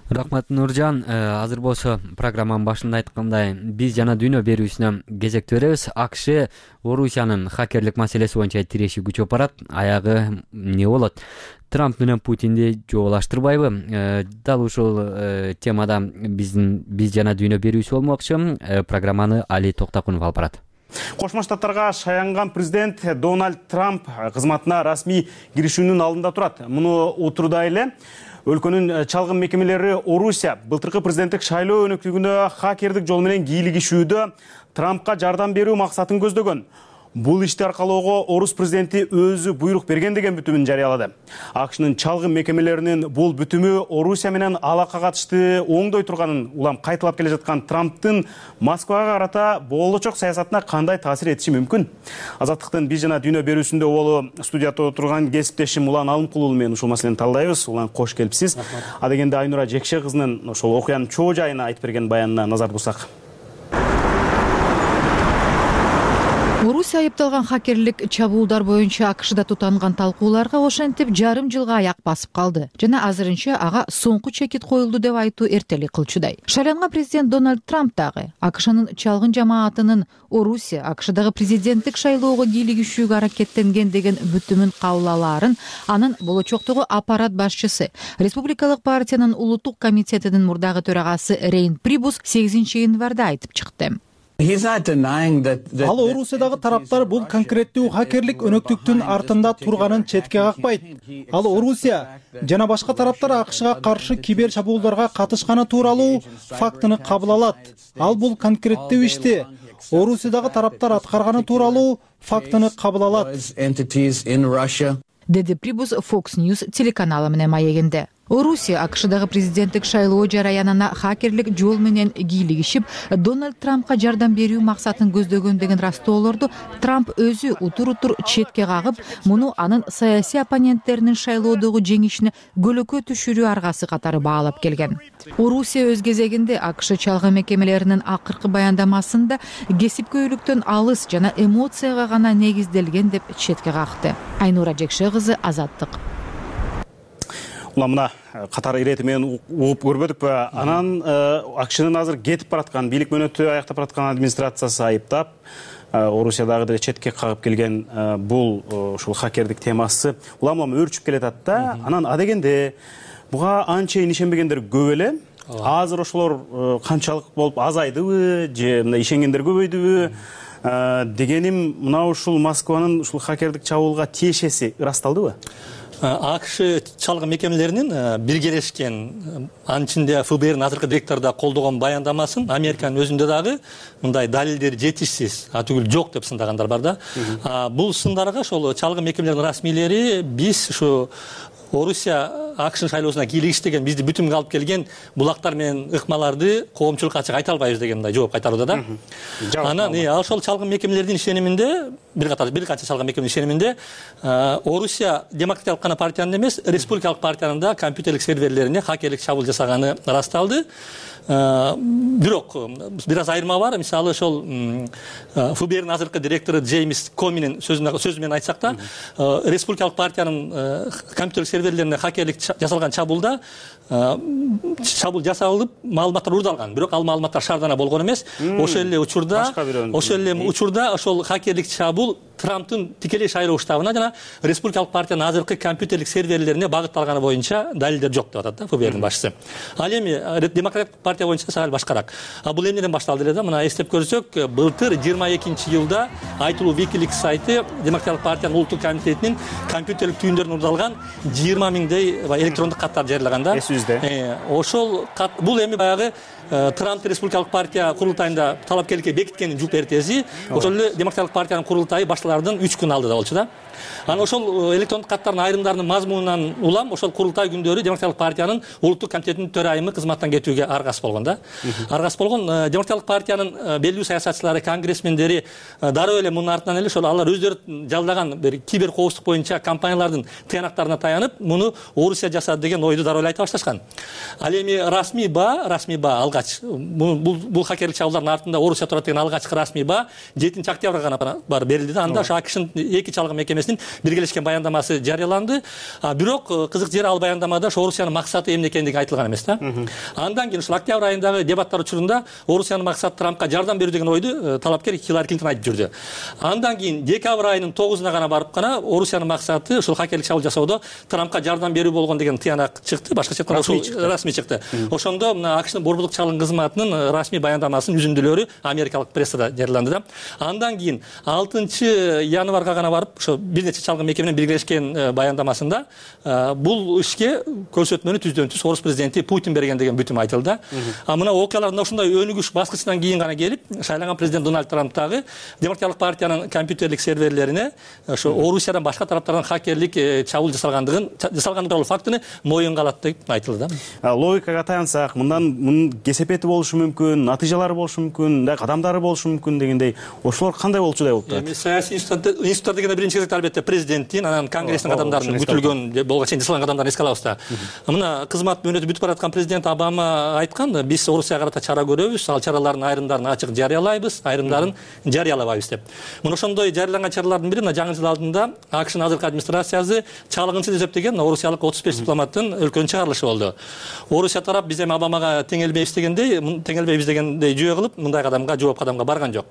Рахмат, Нуржан. Азыр болсо программанын башында айткандай, биз жана дүйнө берүүсүнө кезектүү беребиз. АКШ Орусиянын хакерлик маселеси боюнча тиреши күчөп барат. Аягы эмне болот? Трамп менен Путинди жоолаштырбайбы? Дал ушул темада биз жана дүйнө берүүсү болмокчу. Программаны Али Токтакунов алып барат. Кошмо Штаттарга шаянган президент Дональд Трамп кызматына расмий киришүүнүн алдында турат. Муну утурда эле өлкөнүн чалгын мекемелери Орусия былтыркы президенттик шайлоо өнөктүгүнө хакердик жол менен кийлигишүүдө Трампка жардам берүү максатын көздөгөн. бул ишти аркалоого орус президенти өзү буйрук берген деген бүтүмүн жарыялады. АКШнын чалгын мекемелеринин бул бүтүмү Орусия менен алака катышты оңдой турганын улам кайталап келе жаткан Трамптын Москвага карата болочок саясатына кандай таасир этиши мүмкүн? Азаттыктын биз жана дүйнө берүүсүндө болу студияда отурган кесиптешим Улан Алымкулуу менен ушул маселени талдайбыз. Улан, кош келипсиз. Адегенде Айнура Жекше кызынын ошол окуянын чоо жайына айтып берген баянына назар бурсак. Орусия айыпталган хакерлик чабуулдар боюнча АКШда тутанган талкууларга ошентип жарым жылга аяк басып калды жана азырынча ага соңку чекит коюлду деп айтуу эртелик кылчудай. Шайланган президент Дональд Трамп дагы АКШнын чалгын жамаатынын Орусия АКШдагы президенттик шайлоого кийлигишүүгө аракеттенген деген бүтүмүн кабыл алаарын анын болочоктогу аппарат башчысы, Республикалык партиянын улуттук комитетинин мурдагы төрагасы Рейн Прибус 8-январда айтып чыкты. Ал Орусиядагы тараптар бул конкреттүү хакерлик өнөктүктүн артында турганын четке какпайт. Ал Орусия жана башка тараптар АКШга каршы кибер чабуулдарга катышканы тууралуу фактыны кабыл алат. Ал бул конкреттүү ишти Орусиядагы тараптар аткарганы тууралуу фактыны кабыл алат, деди Прибус Fox News телеканалы менен маегинде. Орусия АКШдагы президенттик шайлоо жараянына хакерлик жол менен кийлигишип, Дональд Трампка жардам берүү максатын көздөгөн деген растоолорду Трамп өзү утур-утур четке кагып, муну анын саясий оппоненттеринин шайлоодогу жеңишине көлөкө түшүрүү аргасы катары баалап келген. Орусия өз кезегинде АКШ чалгын мекемелеринин акыркы баяндамасында кесипкөйлүктөн алыс жана эмоцияга гана негизделген деп четке какты. Айнура Жекше кызы, Азаттык. Мына катар ирети менен угуп көрбөдүкпү? Анан АКШнын азыр кетип бараткан, бийлик мөөнөтү аяктап бараткан администрациясы айыптап, Орусиядагы четке кагып келген бул ушул хакердик темасы улам өөрчүп келатат да. Анан адегенде буга анчейин ишенбегендер көп эле. Азыр ошолор канчалык болуп азайдыбы же мындай ишенгендер көбөйдүбү дегеним, мына ушул Москванын ушул хакердик чабуулга тиешеси ырасталдыбы? АКШ чалгын мекемелеринин биргелешкен, анын ичинде ФБРдин азыркы директору да колдогон баяндамасын Американын өзүндө дагы мындай далилдер жетишсиз, түгүл жок деп сындагандар бар да. Бул сындарга ошол чалгын мекемелеринин расмийлери биз ушу Орусия АКШнын шайлоосуна кийлигиш деген бизди бүтүмгө алып келген булактар менен ыкмаларды коомчулукка ачык айта албайбыз деген мындай жооп кайтарууда да. Анан ошол чалгын мекемелердин ишениминде, бир канча чалгын мекеменин ишениминде Орусия демократиялык гана партиянын эмес, республикалык партиянын да компьютерлик серверлерине хакерлик чабуул жасаганы ырасталды. Бирок бир аз айырма бар. Мисалы ошол ФБРдин азыркы директору Джеймс Коминин сөзү менен айтсак да, республикалык партиянын компьютерлик серверлерине хакерлик жасалган чабуулда чабуул жасалып, маалыматтар уурдалган. Бирок ал маалыматтар шаардана болгон эмес. Ошол эле учурда ошол хакерлик чабуул Трамптын тикелей шайлоо штабына жана республикалык партиянын азыркы компьютерлик серверлерине багытталганы боюнча далилдер жок деп атат да ФБРдин башчысы. Ал эми демократиялык партия боюнча сал башкараак. Бул эмнеден башталды эле да? Мына эстеп көрсөк, былтыр 22-жылда айтылуу Wikileaks сайты демократиялык партиянын улуттук комитетинин компьютерлик түйүндөрүнө уурдалган 20 миңдей электрондук каттарды жарыялаган да. Ошол бул эми баягы Трамп республикалык партия курултайында талапкерликке бекиткендин жуп эртеси, ошол эле демократиялык партиянын курултайы башталардан 3 күн алды да болчу да. Анан ошол электрондук каттардын айрымдарынын мазмунунан улам ошол курултай күндөрү демократиялык партиянын улуттук комитетинин төрайымы кызматтан кетүүгө аргасыз болгон да. Аргасыз болгон демократиялык партиянын белгилүү саясатчылары, конгрессмендери дароо эле мунун артынан эле ошол алар өздөрү жалдаган бир кибер коопсуздук боюнча компаниялардын тыянактарына таянып, муну Орусия жасады деген ойду дароо эле айта башташкан. Ал эми расмий баа алгач бул хакерлик чабуулдардын артында Орусия турат деген алгачкы расмий баа 7-октябрга гана бар берилди да. Анда ошо АКШнын эки чалгын мекемесинин биргелешкен баяндамасы жарыяланды. Бирок кызык жери ал баяндамада ошо Орусиянын максаты эмне экендиги айтылган эмес да. Андан кийин ушул октябрь айындагы дебаттар учурунда Орусиянын максаты Трампка жардам берүү деген ойду талапкер Хиллари Клинтон айтып жүрдү. Андан кийин декабрь айынын 9-уна гана барып гана Орусиянын максаты ушул хакерлик чабуул жасоодо Трампка жардам берүү болгон деген тыянак чыкты. Башкача айтканда ушул расмий чыкты. Ошондо мына АКШнын борбордук чалгын кызматынын расмий баяндамасынын үзүндүлөрү америкалык прессада жарыяланды да. Андан кийин 6-январга гана барып ошо бир нече чалгы мекеме менен биргелешкен баяндамасында бул ишке көрсөтмөнү түздөн түз орус президенти Путин берген деген бүтүм айтылды. Мына окуялар ушундай өнүгүш баскычынан кийин гана келип, шайланган президент Дональд Трамп дагы Демократиялык партиянын компьютерлик серверлерине ошо Орусиядан башка тараптардан хакерлик чабуул жасалган тууралуу фактыны моюнга алат деп айтылды да. Логикага таянсак, мындан кесепети болушу мүмкүн, натыйжалары болушу мүмкүн, кадамдары болушу мүмкүн дегендей, ошолор кандай болчудай болуп турат? Саясий институттар дегенде биринчи кезекте албетте президенттин, анан конгресстин кадамдарынын бүтүлгөн болгон чейин жасалган кадамдарын эске алабыз да. Мына кызмат мөөнөтү бүтүп бараткан президент Обама айткан, биз Орусияга карата чара көрөбүз, ал чаралардын айрымдарын ачык жарыялайбыз, айрымдарын жарыялабайбыз деп. Мына ошондой жарыяланган чаралардын бири мына жаңы жыл алдында АКШнын азыркы администрациясы чалгынчы деп эсептеген орусиялык 35 дипломаттын өлкөнүн чыгарылышы болду. Орусия тарап биз эми Обамага теңелбейбиз дегендей жүйө кылып, мындай кадамга жооп кадамга барган жок.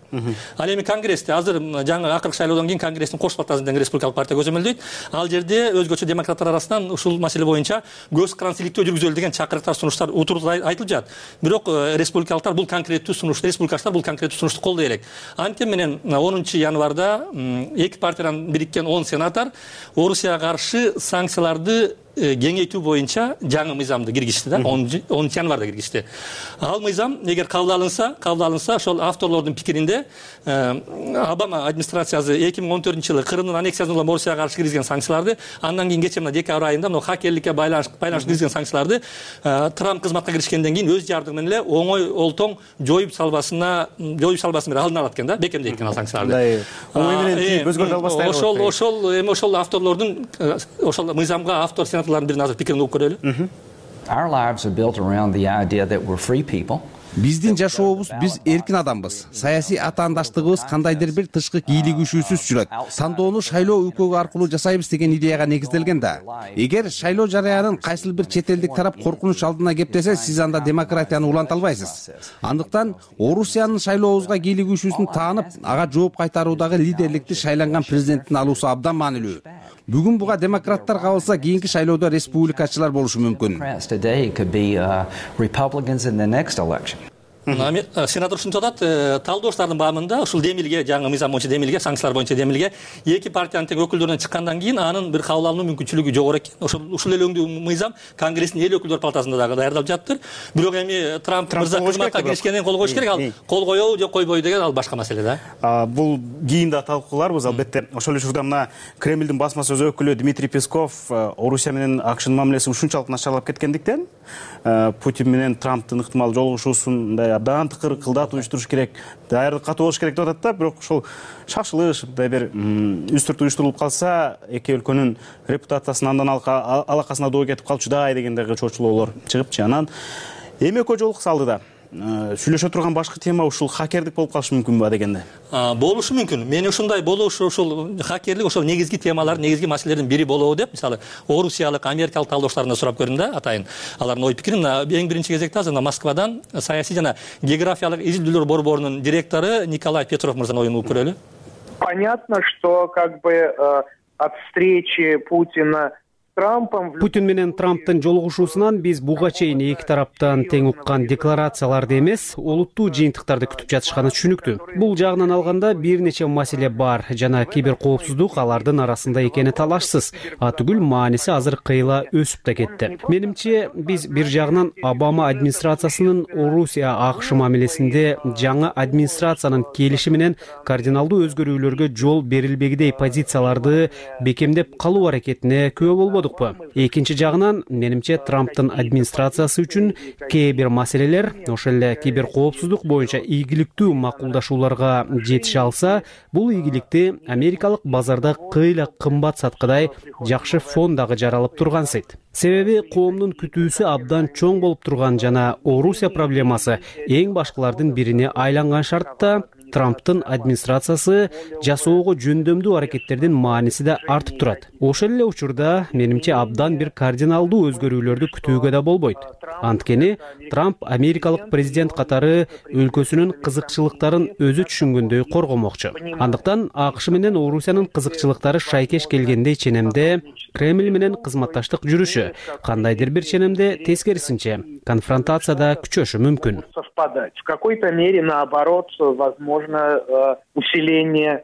Ал эми конгрессте азыр жаңы акыркы шайлоодон кийин конгресстин кош палатасы деген республикалык партия көзөмөлдөйт. Ал жерде өзгөчө демократтар арасынан ушул маселе боюнча көз карансыздыктоо жүргүзөлү деген чакырыктар, сунуштар утуруп айтылып жатат. Бирок республикалыктар бул конкреттүү сунушту, республикачылар бул конкреттүү сунушту колдой элек. Антем менен 10 январда эки партиядан бириккен 10 сенатор Орусияга каршы санкцияларды кеңейтүү боюнча жаңы мыйзамды киргизди да, 10 январда киргизди. Ал мыйзам эгер кабыл алынса, ошол авторлордун пикиринде Обама администрациясы 2014-жылы Крымдын аннексиясына улам Орусияга каршы киргизген санкцияларды, андан кийин кече мына декабрь айында мына хакерликке байланыштуу киргизген санкцияларды Трамп кызматка киришкенден кийин өз жардыгы менен эле оңой олтоң жоюп салбасына бери алдын алат экен да, бекемдейт экен ал санкцияларды. Ошол авторлордун ошол мыйзамга автор birinin azır fikrini okuyup göreli. Our lives are built around the idea that we're free people. Биздин жашообуз, биз эркин адамбыз. Саясий атаандаштыгыбыз кандайдыр бир тышкы кийлигишүүсүз жүрөт. Тандоону шайлоо өлкөгү аркылуу жасайбыз деген идеяга негизделген да. Эгер шайлоо жарыянын кайсыл бир чет элдик тарап коркунуч алдына кептесе, сиз анда демократияны уланта албайсыз. Андыктан Орусиянын шайлообузга кийлигишүүсүн таанып, ага жооп кайтаруудагы лидерликти шайланган президенттин алуусу абдан маанилүү. Бүгүн буга демократтар кабылса, кийинки шайлоодо республикачылар болушу мүмкүн. Сенатор ушинтип атат, талдооштардын баамында ушул демилге, жаңы мыйзам боюнча демилге, санкциялар боюнча демилге эки партиянын тең өкүлдөрүнөн чыккандан кийин анын бир кабыл алынуу мүмкүнчүлүгү жогору экен. Ушул эле өңдүү мыйзам Конгресстин эл өкүлдөр палатасында дагы даярдалып жаттыр. Бирок эми Трамп мырза кызматка киришкенден кол коюш керек, ал кол коёбу же койбойбу деген ал башка маселе да. Бул кийин да талкууларбыз, албетте. Ошол учурда мына Кремлдин басма сөз өкүлү Дмитрий Песков Орусия менен АКШнын мамилеси ушунчалык начарлап кеткендиктен Путин менен Трамптын ыктымал жолугушуусун мындай абдан тыкыр кылдат уюштуруш керек, даярдык катуу болуш керек деп атат да. Бирок ошол шашылыш, мындай бир үстүрт уюштурулуп калса, эки өлкөнүн репутациясынын андан алакасына доо кетип калчудай дегендеги чочулоолор чыгыпчы. Анан эми экөө жолукса алдыда сүйлөшө турган башкы тема ушул хакерлик болуп калышы мүмкүнбү дегенде? Болушу мүмкүн. Мен ушундай болушу, ушул хакерлик ошол негизги темалар, негизги маселелердин бири болобу деп, мисалы, орусиялык, америкалык талдооштарына сурап көрдүм да, атайын. Алардын ой пикирин эң биринчи кезекте азыр Москвадан саясий жана географиялык изилдөөлөр борборунун директору Николай Петров мырзанын оюн угуп көрөлү. Понятно, что как бы от встречи Путина Путин менен Трамптын жолугушуусунан биз буга чейин эки тараптан тең уккан декларацияларды эмес, олуттуу жыйынтыктарды күтүп жатышканы түшүнүктүү. Бул жагынан алганда бир нече маселе бар жана киберкоопсуздук алардын арасында экени талашсыз. Түгүл мааниси азыр кыйла өсүп да кетти. Менимче, биз бир жагынан Обама администрациясынын Орусия АКШ мамилесинде жаңы администрациянын келиши менен кардиналдуу өзгөрүүлөргө жол берилбегидей позицияларды бекемдеп калуу аракетине күбө болбоду. Экинчи жагынан, менимче, Трамптын администрациясы үчүн кээ бир маселелер, ошол эле киберкоопсуздук боюнча ийгиликтүү макулдашууларга жетише алса, бул ийгиликти америкалык базарда кыйла кымбат саткыдай жакшы фон дагы жаралып тургансыйт. Себеби коомдун күтүүсү абдан чоң болуп турган жана Орусия проблемасы эң башкылардын бирине айланган шартта Трамптын администрациясы жасоого жөндөмдүү аракеттердин мааниси да артып турат. Ошол эле учурда менимче абдан бир кардиналдуу өзгөрүүлөрдү күтүүгө да болбойт. Анткени Трамп америкалык президент катары өлкөсүнүн кызыкчылыктарын өзү түшүнгөндөй коргомокчу. Андыктан АКШ менен Орусиянын кызыкчылыктары шайкеш келгендей ченемде Кремль менен кызматташтык жүрүшү, кандайдыр бир ченемде тескерисинче конфронтацияда күчөшү мүмкүн. В какой-то мере, наоборот, возможно, усиление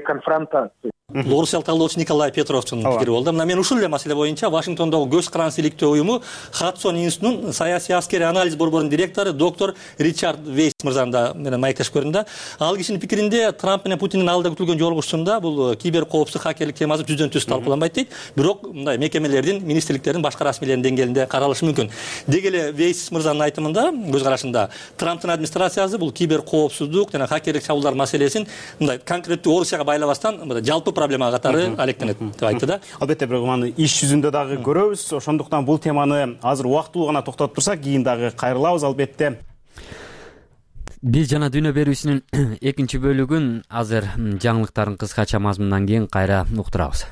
конфронтации. бул орусиялык талдоочу Николай Петровдун пикири болду. Мына мен ушул эле маселе боюнча Вашингтондогу көз каранды иликтөө уюму Хадсон институтунун саясий аскерий анализ борборунун директору доктор Ричард Вейс мырзаны менен маектешип көрдүм да. Ал кишинин пикиринде Трамп менен Путиндин алдыда күтүлгөн жолугушуусунда бул кибер коопсуздук, хакерлик темасы түздөн түз талкууланбайт дейт. Бирок мындай мекемелердин, министрликтердин, башка расмийлердин деңгээлинде каралышы мүмкүн. Деги эле Вейс мырзанын айтымында, көз карашында Трамптын администрациясы бул кибер коопсуздук жана хакерлик чабуулдар маселесин мындай конкреттүү Орусияга байлабастан жалпы проблема катары алектенет деп айтты да. Албетте, бирок аны иш жүзүндө дагы көрөбүз. Ошондуктан бул теманы азыр убактылуу гана токтотуп турсак, кийин дагы кайрылабыз албетте. Биз жана дүйнө берүүсүнүн экинчи бөлүгүн азыр жаңылыктардын кыскача мазмунунан кийин кайра уктурабыз.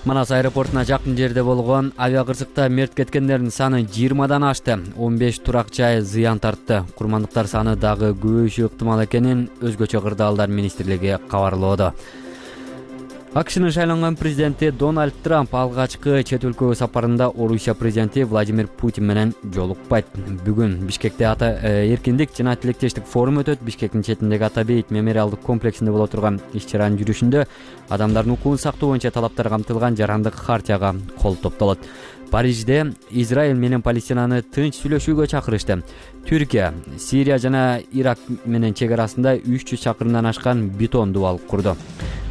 Манас аэропортуна жакын жерде болгон авиакырсыкта мерт кеткендердин саны 20дан ашты. 15 турак жай зыян тартты. Курмандыктар саны дагы көбөйүшү ыктымал экенин өзгөчө кырдаалдар министрлиги кабарлоодо. АКШнын шайланган президенти Дональд Трамп алгачкы чет өлкөгө сапарында Орусия президенти Владимир Путин менен жолукпайт. Бүгүн Бишкекте эркиндик жана тилектештик форум өтөт. Бишкектин четиндеги Ата-Бейит мемориалдык комплексинде боло турган иш-чаранын жүрүшүндө адамдардын укугун сактоо боюнча талаптар камтылган жарандык хартияга кол топтолот. Парижде Израиль менен Палестинаны тынч сүйлөшүүгө чакырышты. Түркия, Сирия жана Ирак менен чек арасында 300 чакырымдан ашкан бетон дубал курду.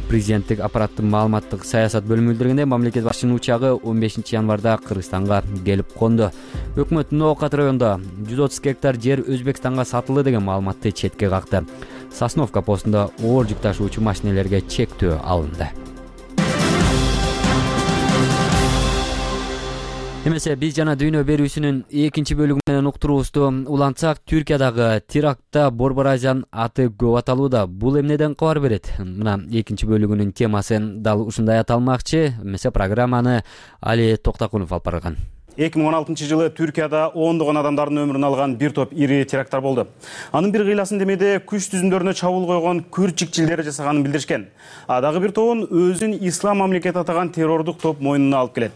Президенттик аппараттын маалыматтык саясат бөлүмү билдиргенде, мамлекет башчынын учагы 15 январда Кыргызстанга келип конду. Өкмөт Ноокат районунда 130 гектар жер Өзбекстанга сатылды деген маалыматты четке какты. Сосновка постунда оор жүк ташуучу машинелерге чектөө алынды. Эмесе биз жана дүйнө берүүсүнүн экинчи бөлүгү менен уктуруубузду улантсак, Түркиядагы терактта Борбор Азиянын аты көп аталууда. Бул эмнеден кабар берет? Мына экинчи бөлүгүнүн темасын дал ушундай аталмакчы. Эмесе программаны Али Токтакунов алып барган. 2016 жылы Түркияда ондогон адамдардын өмүрүн алган бир топ ири теракттар болду. Анын бир кыйласын демеде күч түзүмдөрүнө чабуул койгон күрт-чикчилдер жасаганын билдиришкен. Дагы бир тобун өзүн ислам мамлекети атаган террордук топ мойнуна алып келет.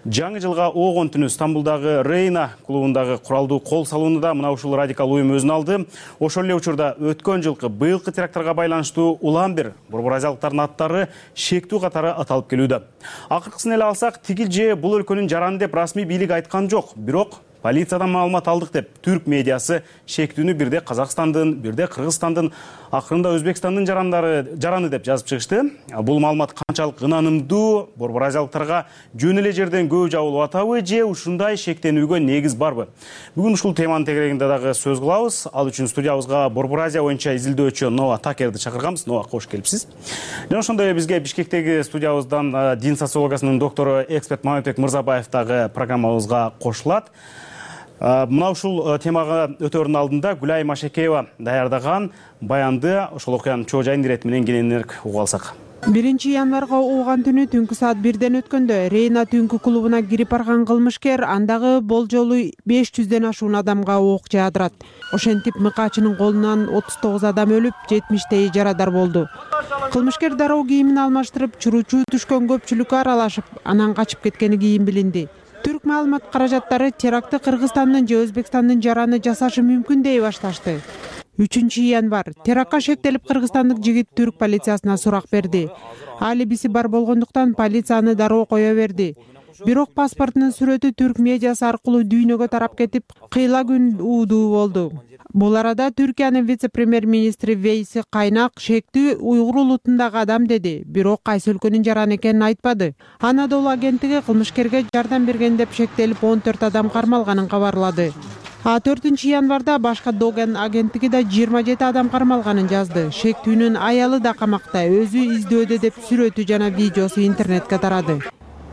Жаңы жылга огон түнү Стамбулдагы Рейна клубундагы куралдуу кол салуунда мына ушул радикал уюм өзүн алды. Ошол эле учурда өткөн жылкы быйылкы теракттарга байланыштуу улам бир борбор азиялыктардын аттары шектүү катары аталып келүүдө. Акыркысын эле алсак, тигил же бул өлкөнүн жараны деп расмий бийлик айткан жок. Бирок полициядан маалымат алдык деп түрк медиасы шектүүнү бирде Казакстандын, бирде Кыргызстандын, акырында Өзбекстандын жараны деп жазып чыгышты. Бул маалымат канчалык ынанымдуу, борбор азиялыктарга жөн эле жерден көп жабылып атабы же ушундай шектенүүгө негиз барбы? Бүгүн ушул теманын тегерегинде дагы сөз кылабыз. Ал үчүн студиябызга Борбор Азия боюнча изилдөөчү Нова Такерди чакырганбыз. Нова, кош келипсиз. Жана ошондой эле бизге Бишкектеги студиябыздан дин социологиясынын доктору эксперт Маматбек Мырзабаев дагы программабызга кошулат. Мына ушул темага өтөөрдүн алдында Гүлай Машекеева даярдаган баянды ошол окуянын чоо жайын ирети менен кененирээк угуп алсак. 1 январга уган түнү түнкү саат 1ден өткөндө Рейна түнкү клубуна кирип барган кылмышкер андагы болжолу 500ден ашуун адамга ок жаадырат. Ошентип мыкаачынын колунан 39 адам өлүп, 70 жарадар болду. Кылмышкер дароо кийимин алмаштырып, чуруучу түшкөн көпчүлүккө аралашып, анан качып кеткени кийин билинди. Түрк маалымат каражаттары терактты Кыргызстандын же Өзбекстандын жараны жасашы мүмкүн дей башташты. 3 январ терактка шектелип Кыргызстандык жигит түрк полициясына сурак берди. Алибиси бар болгондуктан полицияны дароо кое берди. Бирок паспортунун сүрөтү түрк медиасы аркылуу дүйнөгө тарап кетип, кыйла күн уудуу болду. Бул арада Түркиянын вице-премьер-министри Вейси Кайнак шектүү уйгур улутундагы адам деди, бирок кайсы өлкөнүн жараны экенин айтпады. Анадолу агенттиги кылмышкерге жардам берген деп шектелип 14 адам кармалганын кабарлады. 4 январда башка Доген агенттиги да 27 адам кармалганын жазды. Шектүүнүн аялы да камакта, өзү издөөдө деп сүрөтү жана видеосу интернетке тарады.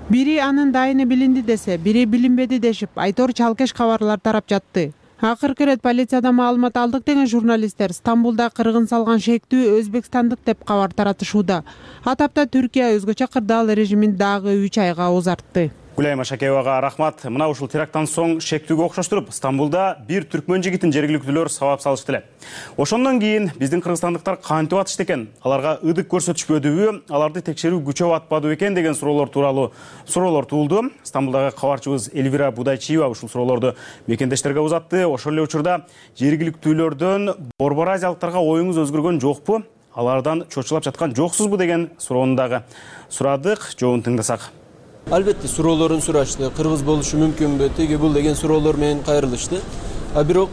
Бири анын дайыны билинди десе, бири билинбеди дешип, Айтор чалкеш кабарлар тарап жатты. Акыркы ирет полициядан маалымат алдык деген журналисттер Стамбулда кыргын салган шектүү өзбекстандык деп кабар таратышууда. Атапта Түркия өзгөчө кырдаал режимин дагы 3 айга узартты. Гүлайым Ашакеевага рахмат. Мына ушул теракттан соң шектүүгө окшоштуруп, Стамбулда бир түркмөн жигитин жергиликтүүлөр сабап салышты эле. Ошондон кийин биздин кыргызстандыктар кантип атышты экен? Аларга ыдык көрсөтүшпөдүбү? Аларды текшерүү күчөп атпадыбы экен деген суроолор туулду. Стамбулдагы кабарчыбыз Эльвира Будайчиева ушул суроолорду мекендештерге узатты. Ошол эле учурда жергиликтүүлөрдөн борбор азиялыктарга оюңуз өзгөргөн жокпу? Алардан чочулап жаткан жоксузбу деген суроону дагы сурадык. Жообун тыңдасак. Албетте суроолорун сурашты. Кыргыз болушу мүмкүнбү? Теги бул деген суроолор менен кайрылышты. Бирок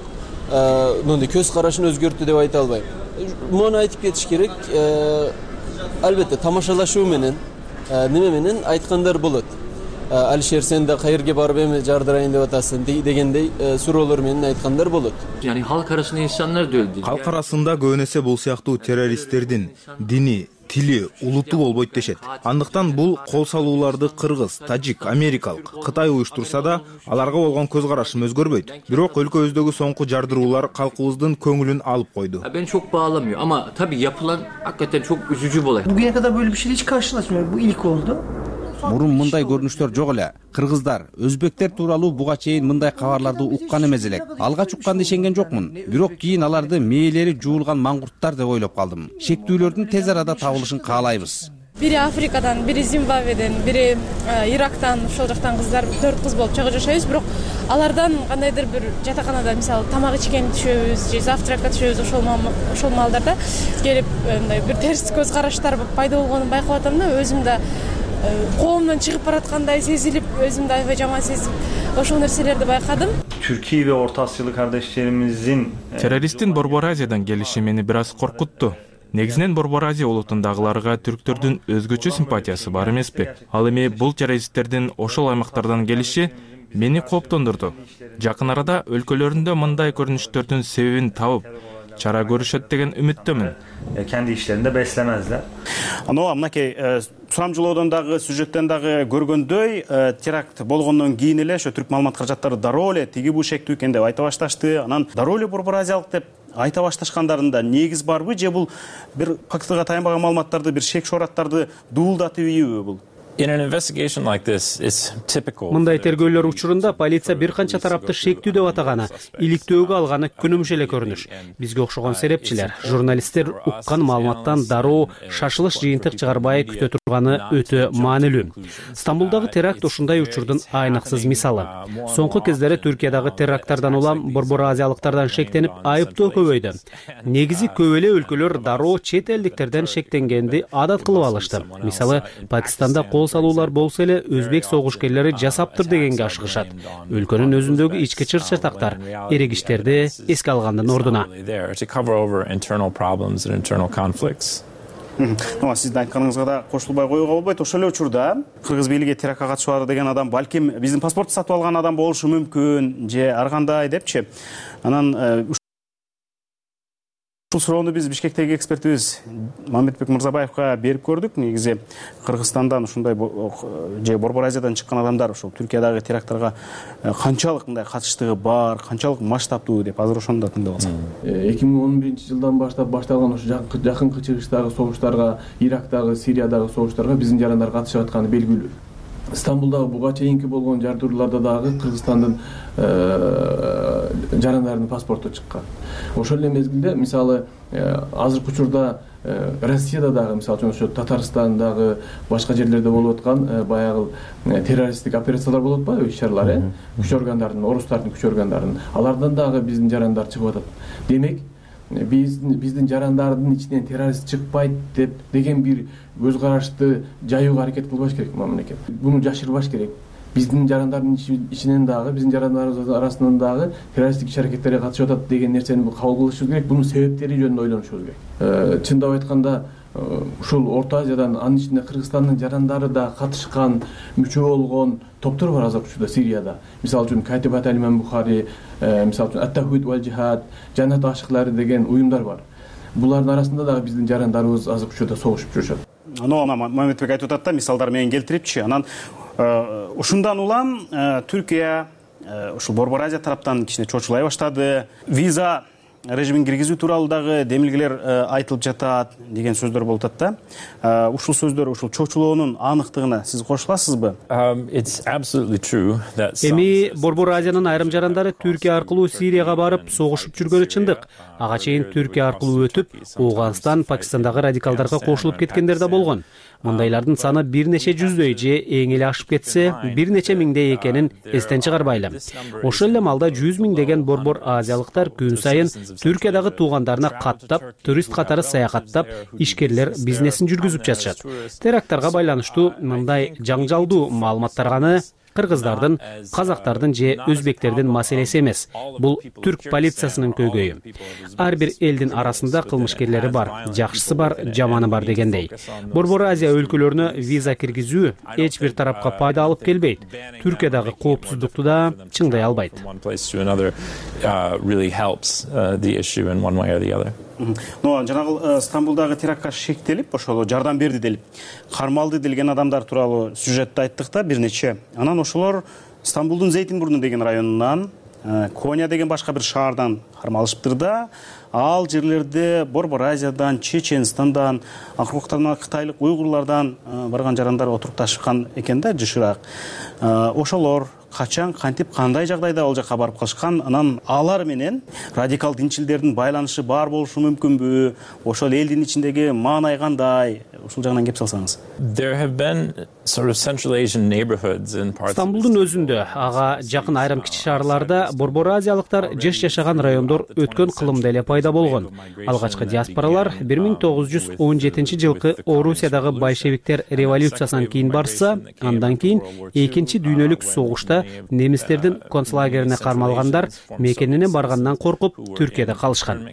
мындай көз карашын өзгөрттү деп айта албайм. Муну айтып кетиш керек. Албетте тамашалашуу менен неме менен айткандар болот. Алишер, сен да кайерге барып эми жардырайын деп атасың дегендей суроолор менен айткандар болот. Yani halk arasında insanlar da öldü. Halk arasında көбүнесе бул сыяктуу террористтердин дини, тили, улуту болбойт дешет. Андыктан бул кол салууларды кыргыз, тажик, америкалык, Кытай уюштурса да, аларга болгон көз карашым өзгөрбөйт. Бирок өлкөбүздөгү соңку жардыруулар калкыбыздын көңүлүн алып койду. Ben çok bağlamıyor ama tabii yapılan hakikaten çok üzücü bir olay. Bugüne kadar böyle bir şeyle hiç karşılaşmıyorum. Bu ilk oldu. Мурун мындай көрүнүштөр жок эле. Кыргыздар, өзбектер тууралуу буга чейин мындай кабарларды уккан эмес элек. Алгач укканды ишенген жокмун. Бирок кийин аларды мээлери жуулган маңгурттар деп ойлоп калдым. Шектүүлөрдүн тез арада табылышын каалайбыз. Biri Afrika'dan, biri Zimbabwe'den, biri Irak'tan, ошол жактан кыздар 4 кыз болуп чыгып жашайбыз. Бирок алардан кандайдыр бир жатаканада мисалы тамак ичкен түшөбүз же завтракка түшөбүз, ошол маалдарда келип мындай бир терс көз караштар пайда болгонун байкап атам да, өзүм да коомдон чыгып бараткандай сезилип, өзүмдү аябай жаман сезип, ошол нерселерди байкадым. Türkiye ve Orta Asyalı kardeşlerimizin террористтин Борбор Азиядан келиши мени бир аз коркутту. Негизинен Борбор Азия улутундагыларга түрктөрдүн өзгөчө симпатиясы бар эмеспи? Ал эми бул террористтердин ошол аймактардан келиши мени кооптондурду. Жакын арада өлкөлөрүндө мындай көрүнүштөрдүн себебин табып, чара көрүшөт деген үмүттөмүн. Kendi işlerinde beslemezler. Мынакей сурамжылоодон дагы, сюжеттен дагы көргөндөй, теракт болгондон кийин эле ошо түрк маалымат каражаттары дароо эле тиги бул шектүү экен деп айта башташты. Анан дароо эле борбор азиялык деп айта башташкандарында негиз барбы же бул бир фактыга таянбаган маалыматтарды, бир шек шораттарды дуулдатып ийби бул? Мындай тергөөлөр учурунда полиция бир канча тарапты шектүү деп атаганы, иликтөөгө алганы күнүмүш эле көрүнүш. Бизге окшогон серепчилер, журналисттер уккан маалыматтан дароо шашылыш жыйынтык чыгарбай күтө турганы өтө маанилүү. Стамбулдагы теракт ушундай учурдун айныксыз мисалы. Соңку кездери Түркиядагы теракттардан улам борбор азиялыктардан шектенип айыптоо көбөйдү. Негизи көп эле өлкөлөр дароо чет элдиктерден шектенгенди адат кылып алышты. Мисалы, Пакистанда кол салуулар болсо эле өзбек согушкерлери жасаптыр дегенге ашыгышат. Өлкөнүн өзүндөгү ички чыр-чатактар, эрегиштерди эске алгандын ордуна. Сиздин айтканыңызга да кошулбай коюуга болбойт. Ошол эле учурда кыргыз бийлиги терактка катышуу деген адам балким биздин паспортду сатып алган адам болушу мүмкүн же ар кандай депчи. Анан ушул суроону биз Бишкектеги экспертибиз Мамедбек Мырзабаевга берип көрдүк. Негизи Кыргызстандан ушундай же Борбор Азиядан чыккан адамдар ушул Түркиядагы теракттарга канчалык мындай катыштыгы бар, канчалык масштабдуу деп азыр ошону да тыңдап алсак. 2011-жылдан баштап башталган ошо жакынкы чыгыштагы согуштарга, Ирактагы, Сириядагы согуштарга биздин жарандар катышып атканы белгилүү. Стамбулдагы буга чейинки болгон жардырууларда дагы Кыргызстандын жарандарынын паспорту чыккан. Ошол эле мезгилде мисалы азыркы учурда Россияда дагы мисалы үчүн ошо Татарстандагы башка жерлерде болуп аткан баягы террористтик операциялар болуп атпайбы, иш-чаралар, күч органдарынын, орустардын күч органдарынын, алардан дагы биздин жарандар чыгып атат. Демек, биздин жарандардын ичинен террорист чыкпайт деген бир көз карашты жаюуга аракет кылбаш керек мамлекет. Буну жашырбаш керек. Биздин жарандардын ичинен дагы, биздин жарандарыбыз арасынан дагы террористтик иш-аракеттерге катышып атат деген нерсени кабыл кылышыбыз керек. Бунун себептери жөнүндө ойлонушубуз керек. Чындап айтканда, ушул Орто Азиядан, анын ичинде Кыргызстандын жарандары да катышкан, мүчө болгон топтор бар азыркы учурда Сирияда. Мисалы үчүн Катибат Алиман Бухари, мисалы үчүн Ат-Тахвид вал Жихад, Жанат ашыклары деген уюмдар бар. Булардын арасында дагы биздин жарандарыбыз азыркы учурда согушуп жүрүшөт. Мамедбек айтып атат да, мисалдар менен келтирипчи. Анан ушундан улам Түркия ушул Борбор Азия тараптан кичине чочулай баштады. Виза режимин киргизүү тууралуу дагы демилгелер айтылып жатат деген сөздөр болуп атат да. Ушул сөздөр, ушул чочулоонун аныктыгына сиз кошуласызбы? Эми Борбор Азиянын айрым жарандары Түркия аркылуу Сирияга барып согушуп жүргөнү чындык. Ага чейин Түркия аркылуу өтүп, Ооганстан, Пакистандагы радикалдарга кошулуп кеткендер да болгон. Мындайлардын саны бир нече жүздөй же эң эле ашып кетсе, бир нече миңдей экенин эстен чыгарбайлы. Ошол эле маалда 100 миңдеген борбор азиялыктар күн сайын Түркиядагы туугандарына каттап, турист катары саякаттап, ишкерлер бизнесин жүргүзүп жатышат. Теракттарга байланыштуу мындай жаңжалдуу маалыматтар гана кыргыздардын, казактардын же өзбектердин маселеси эмес. Бул түрк полициясынын көйгөйү. Ар бир элдин арасында кылмышкерлери бар, жакшысы бар, жаманы бар дегендей. Борбор Азия өлкөлөрүнө виза киргизүү эч бир тарапка пайда алып келбейт. Түркиядагы коопсуздукту да чыңдай албайт. Жанагы Стамбулдагы терактка шектелип, ошол жардам берди делип кармалды делген адамдар тууралуу сюжетти айттык да бир нече. Анан ошолор Стамбулдун Зейтинбурну деген районунан, Коня деген башка бир шаардан кармалышыптыр да. Ал жерлерде Борбор Азиядан, Чеченстандан, акыркы кытайлык уйгурлардан барган жарандар отурукташкан экен да, жышыраак. Ошолор качан, кантип, кандай жагдайда ал жака барып калышкан, анан алар менен радикал динчилдердин байланышы бар болушу мүмкүнбү? Ошол элдин ичиндеги маанай кандай? Ушул жагынан кеп салсаңыз. Стамбулдун өзүндө, ага жакын айрым кичи шаарларда борбор азиялыктар жашаган райондор өткөн кылымда эле пайда болгон. Алгачкы диаспоралар 1917-жылкы Орусиядагы большевиктер революциясынан кийин барса, андан кийин Экинчи дүйнөлүк согушта немистердин концлагерине кармалгандар мекенине баргандан коркуп Түркияда калышкан.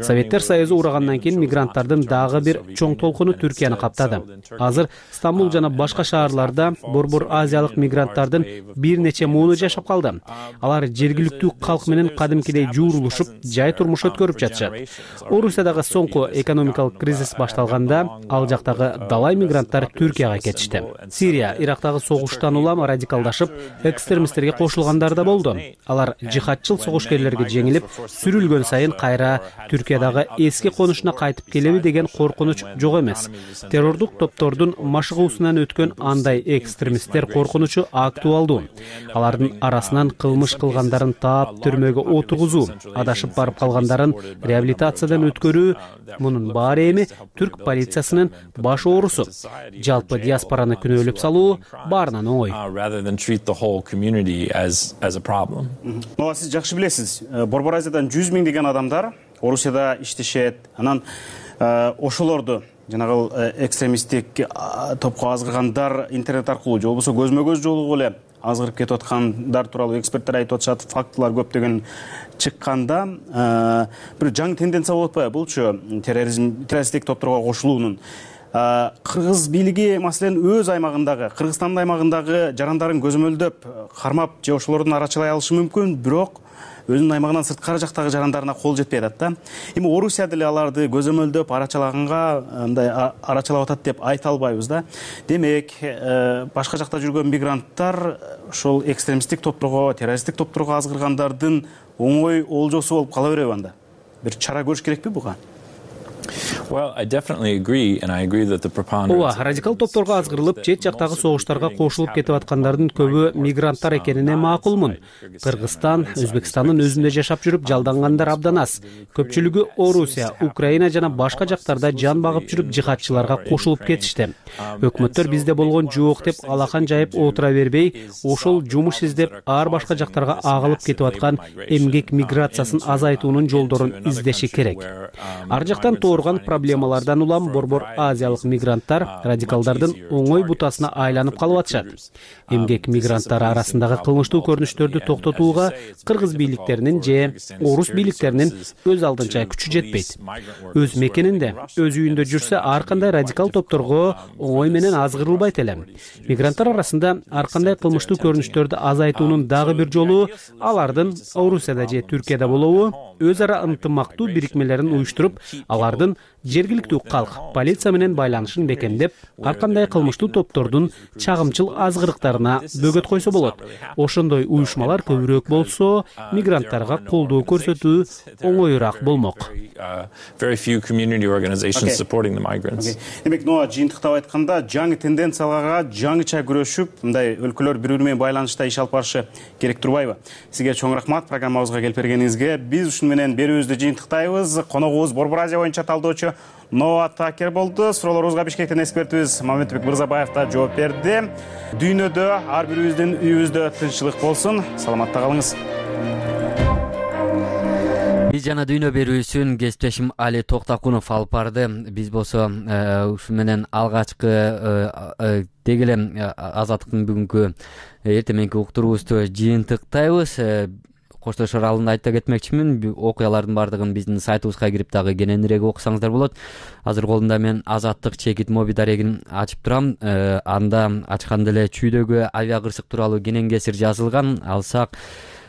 Советтер Союзу урагандан кийин мигранттардын дагы бир чоң толкуну Түркияны каптады. Азыр Стамбул жана башка шаарларда борбор азиялык мигранттардын бир нече муну жашап калды. Алар жергиликтүү калк менен кадимкидей жуурулушуп, жай турмуш өткөрүп жатышат. Орусиядагы соңку экономикалык кризис башталганда, ал жактагы далай мигранттар Түркияга кетишти. Сирия, Ирактагы согуштан улам радикалдашып, экстремисттерге кошулгандар да болду. Алар жихадчыл согушкерлерге жеңилип, сүрүлгөн сайын кайра Түркиядагы эски конушуна кайтып келеби деген коркунуч жок эмес. Террордук топтордун машыгуусунан өткөн андай экстремисттер коркунучу актуалдуу. Алардын арасынан кылмыш кылгандарын таап түрмөгө отургузуу, адашып барып калгандарын реабилитациядан өткөрүү, мунун баары эми түрк полициясынын баш оорусу. Жалпы диаспораны күнөөлөп салуу баарынан оңой. Сиз жакшы билесиз, Борбор Азиядан 100 миң деген адамдар Орусияда иштешет. Анан ошолорду жанагы экстремисттик топко азгыргандар интернет аркылуу же болбосо көзмө-көз жолугу эле азгырып кетип аткандар тууралуу эксперттер айтып атышат, фактылар көптөгөн чыкканда бир жаңы тенденция болуп атпайбы булчу террористтик топторго кошулуунун? Кыргыз бийлиги маселен өз аймагындагы, Кыргызстандын аймагындагы жарандарын көзөмөлдөп, кармап же ошолордун арачылай алышы мүмкүн, бирок өзүнүн аймагынан сырткары жактагы жарандарына кол жетпей атат да. Эми Орусия деле аларды көзөмөлдөп, арачалаганга мындай арачалап атат деп айта албайбыз да. Демек, башка жакта жүргөн мигранттар ошол экстремисттик топторго, террористтик топторго азгыргандардын оңой олжосу болуп кала береби анда? Бир чара көрүш керекпи буга? Ооба, радикал топторго азгырылып, чет жактагы согуштарга кошулуп кетип аткандардын көбү мигранттар экенине макулмун. Кыргызстан, Өзбекстандын өзүндө жашап жүрүп жалдангандар абдан аз. Көпчүлүгү Орусия, Украина жана башка жактарда жан багып жүрүп жихадчыларга кошулуп кетишти. Өкмөттөр бизде болгон жок деп алакан жайып отура бербей, ошол жумуш издеп ар башка жактарга агылып кетип аткан эмгек миграциясын азайтуунун жолдорун издеши керек. Ар жактан турган проблемалардан улам борбор азиялык мигранттар радикалдардын оңой бутасына айланып калып атышат. Эмгек мигранттары арасындагы кылмыштуу көрүнүштөрдү токтотууга кыргыз бийликтеринин же орус бийликтеринин өз алдынча күчү жетпейт. Өз мекенинде, өз үйүндө жүрсө ар кандай радикал топторго оңой менен азгырылбайт эле. Мигранттар арасында ар кандай кылмыштуу көрүнүштөрдү азайтуунун дагы бир жолу алардын Орусияда же Түркияда болобу өз ара ынтымактуу бирикмелерин уюштуруп, алардын аймактардын жергиликтүү калк полиция менен байланышын бекемдеп, ар кандай кылмыштуу топтордун чагымчыл азгырыктарына бөгөт койсо болот. Ошондой уюшмалар көбүрөөк болсо, мигранттарга колдоо көрсөтүү оңоюраак болмок. Демек, жыйынтыктап айтканда, жаңы тенденцияларга жаңыча күрөшүп, мындай өлкөлөр бири-бири менен байланышта иш алып барышы керек турбайбы? Сизге чоң рахмат программабызга келип бергениңизге. Биз ушун менен берүүбүздү жыйынтыктайбыз. Коногубуз Борбор Азия боюнча талдоочу Ноа Такер болду. Суроолорубузга Бишкектен экспертибиз Мамедбек Мырзабаев да жооп берди. Дүйнөдө ар бирибиздин үйүбүздө тынччылык болсун. Саламатта калыңыз. Биз жана дүйнө берүүсүн кесиптешим Али Токтакунов алып барды. Биз болсо ушу менен алгачкы деги эле Азаттыктын бүгүнкү эртең мененки уктуруубузду жыйынтыктайбыз. Коштошор алдында айта кетмекчимин, окуялардын бардыгын биздин сайтыбызга кирип дагы кененирээк окусаңыздар болот. Азыр колумда мен Азаттык чекит моби дарегин ачып турам. Анда ачканда эле чүйдөгү авиакырсык тууралуу кенен кесир жазылган. Алсак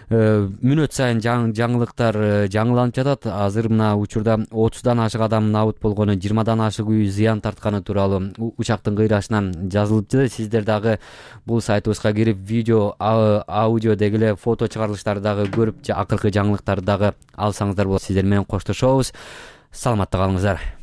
мүнөт сайын жаңылыктар жаңыланып жатат. Азыр мына учурда 30дан ашык адам набыт болгону, 20дан ашык үй зыян тартканы тууралуу учактын кыйрашынан жазылыпты. Сиздер дагы бул сайтыбызга кирип видео, аудио деги эле фото чыгарылыштарды дагы көрүп, акыркы жаңылыктарды дагы алсаңыздар болот. Сиздер менен коштошобуз. Саламатта калыңыздар.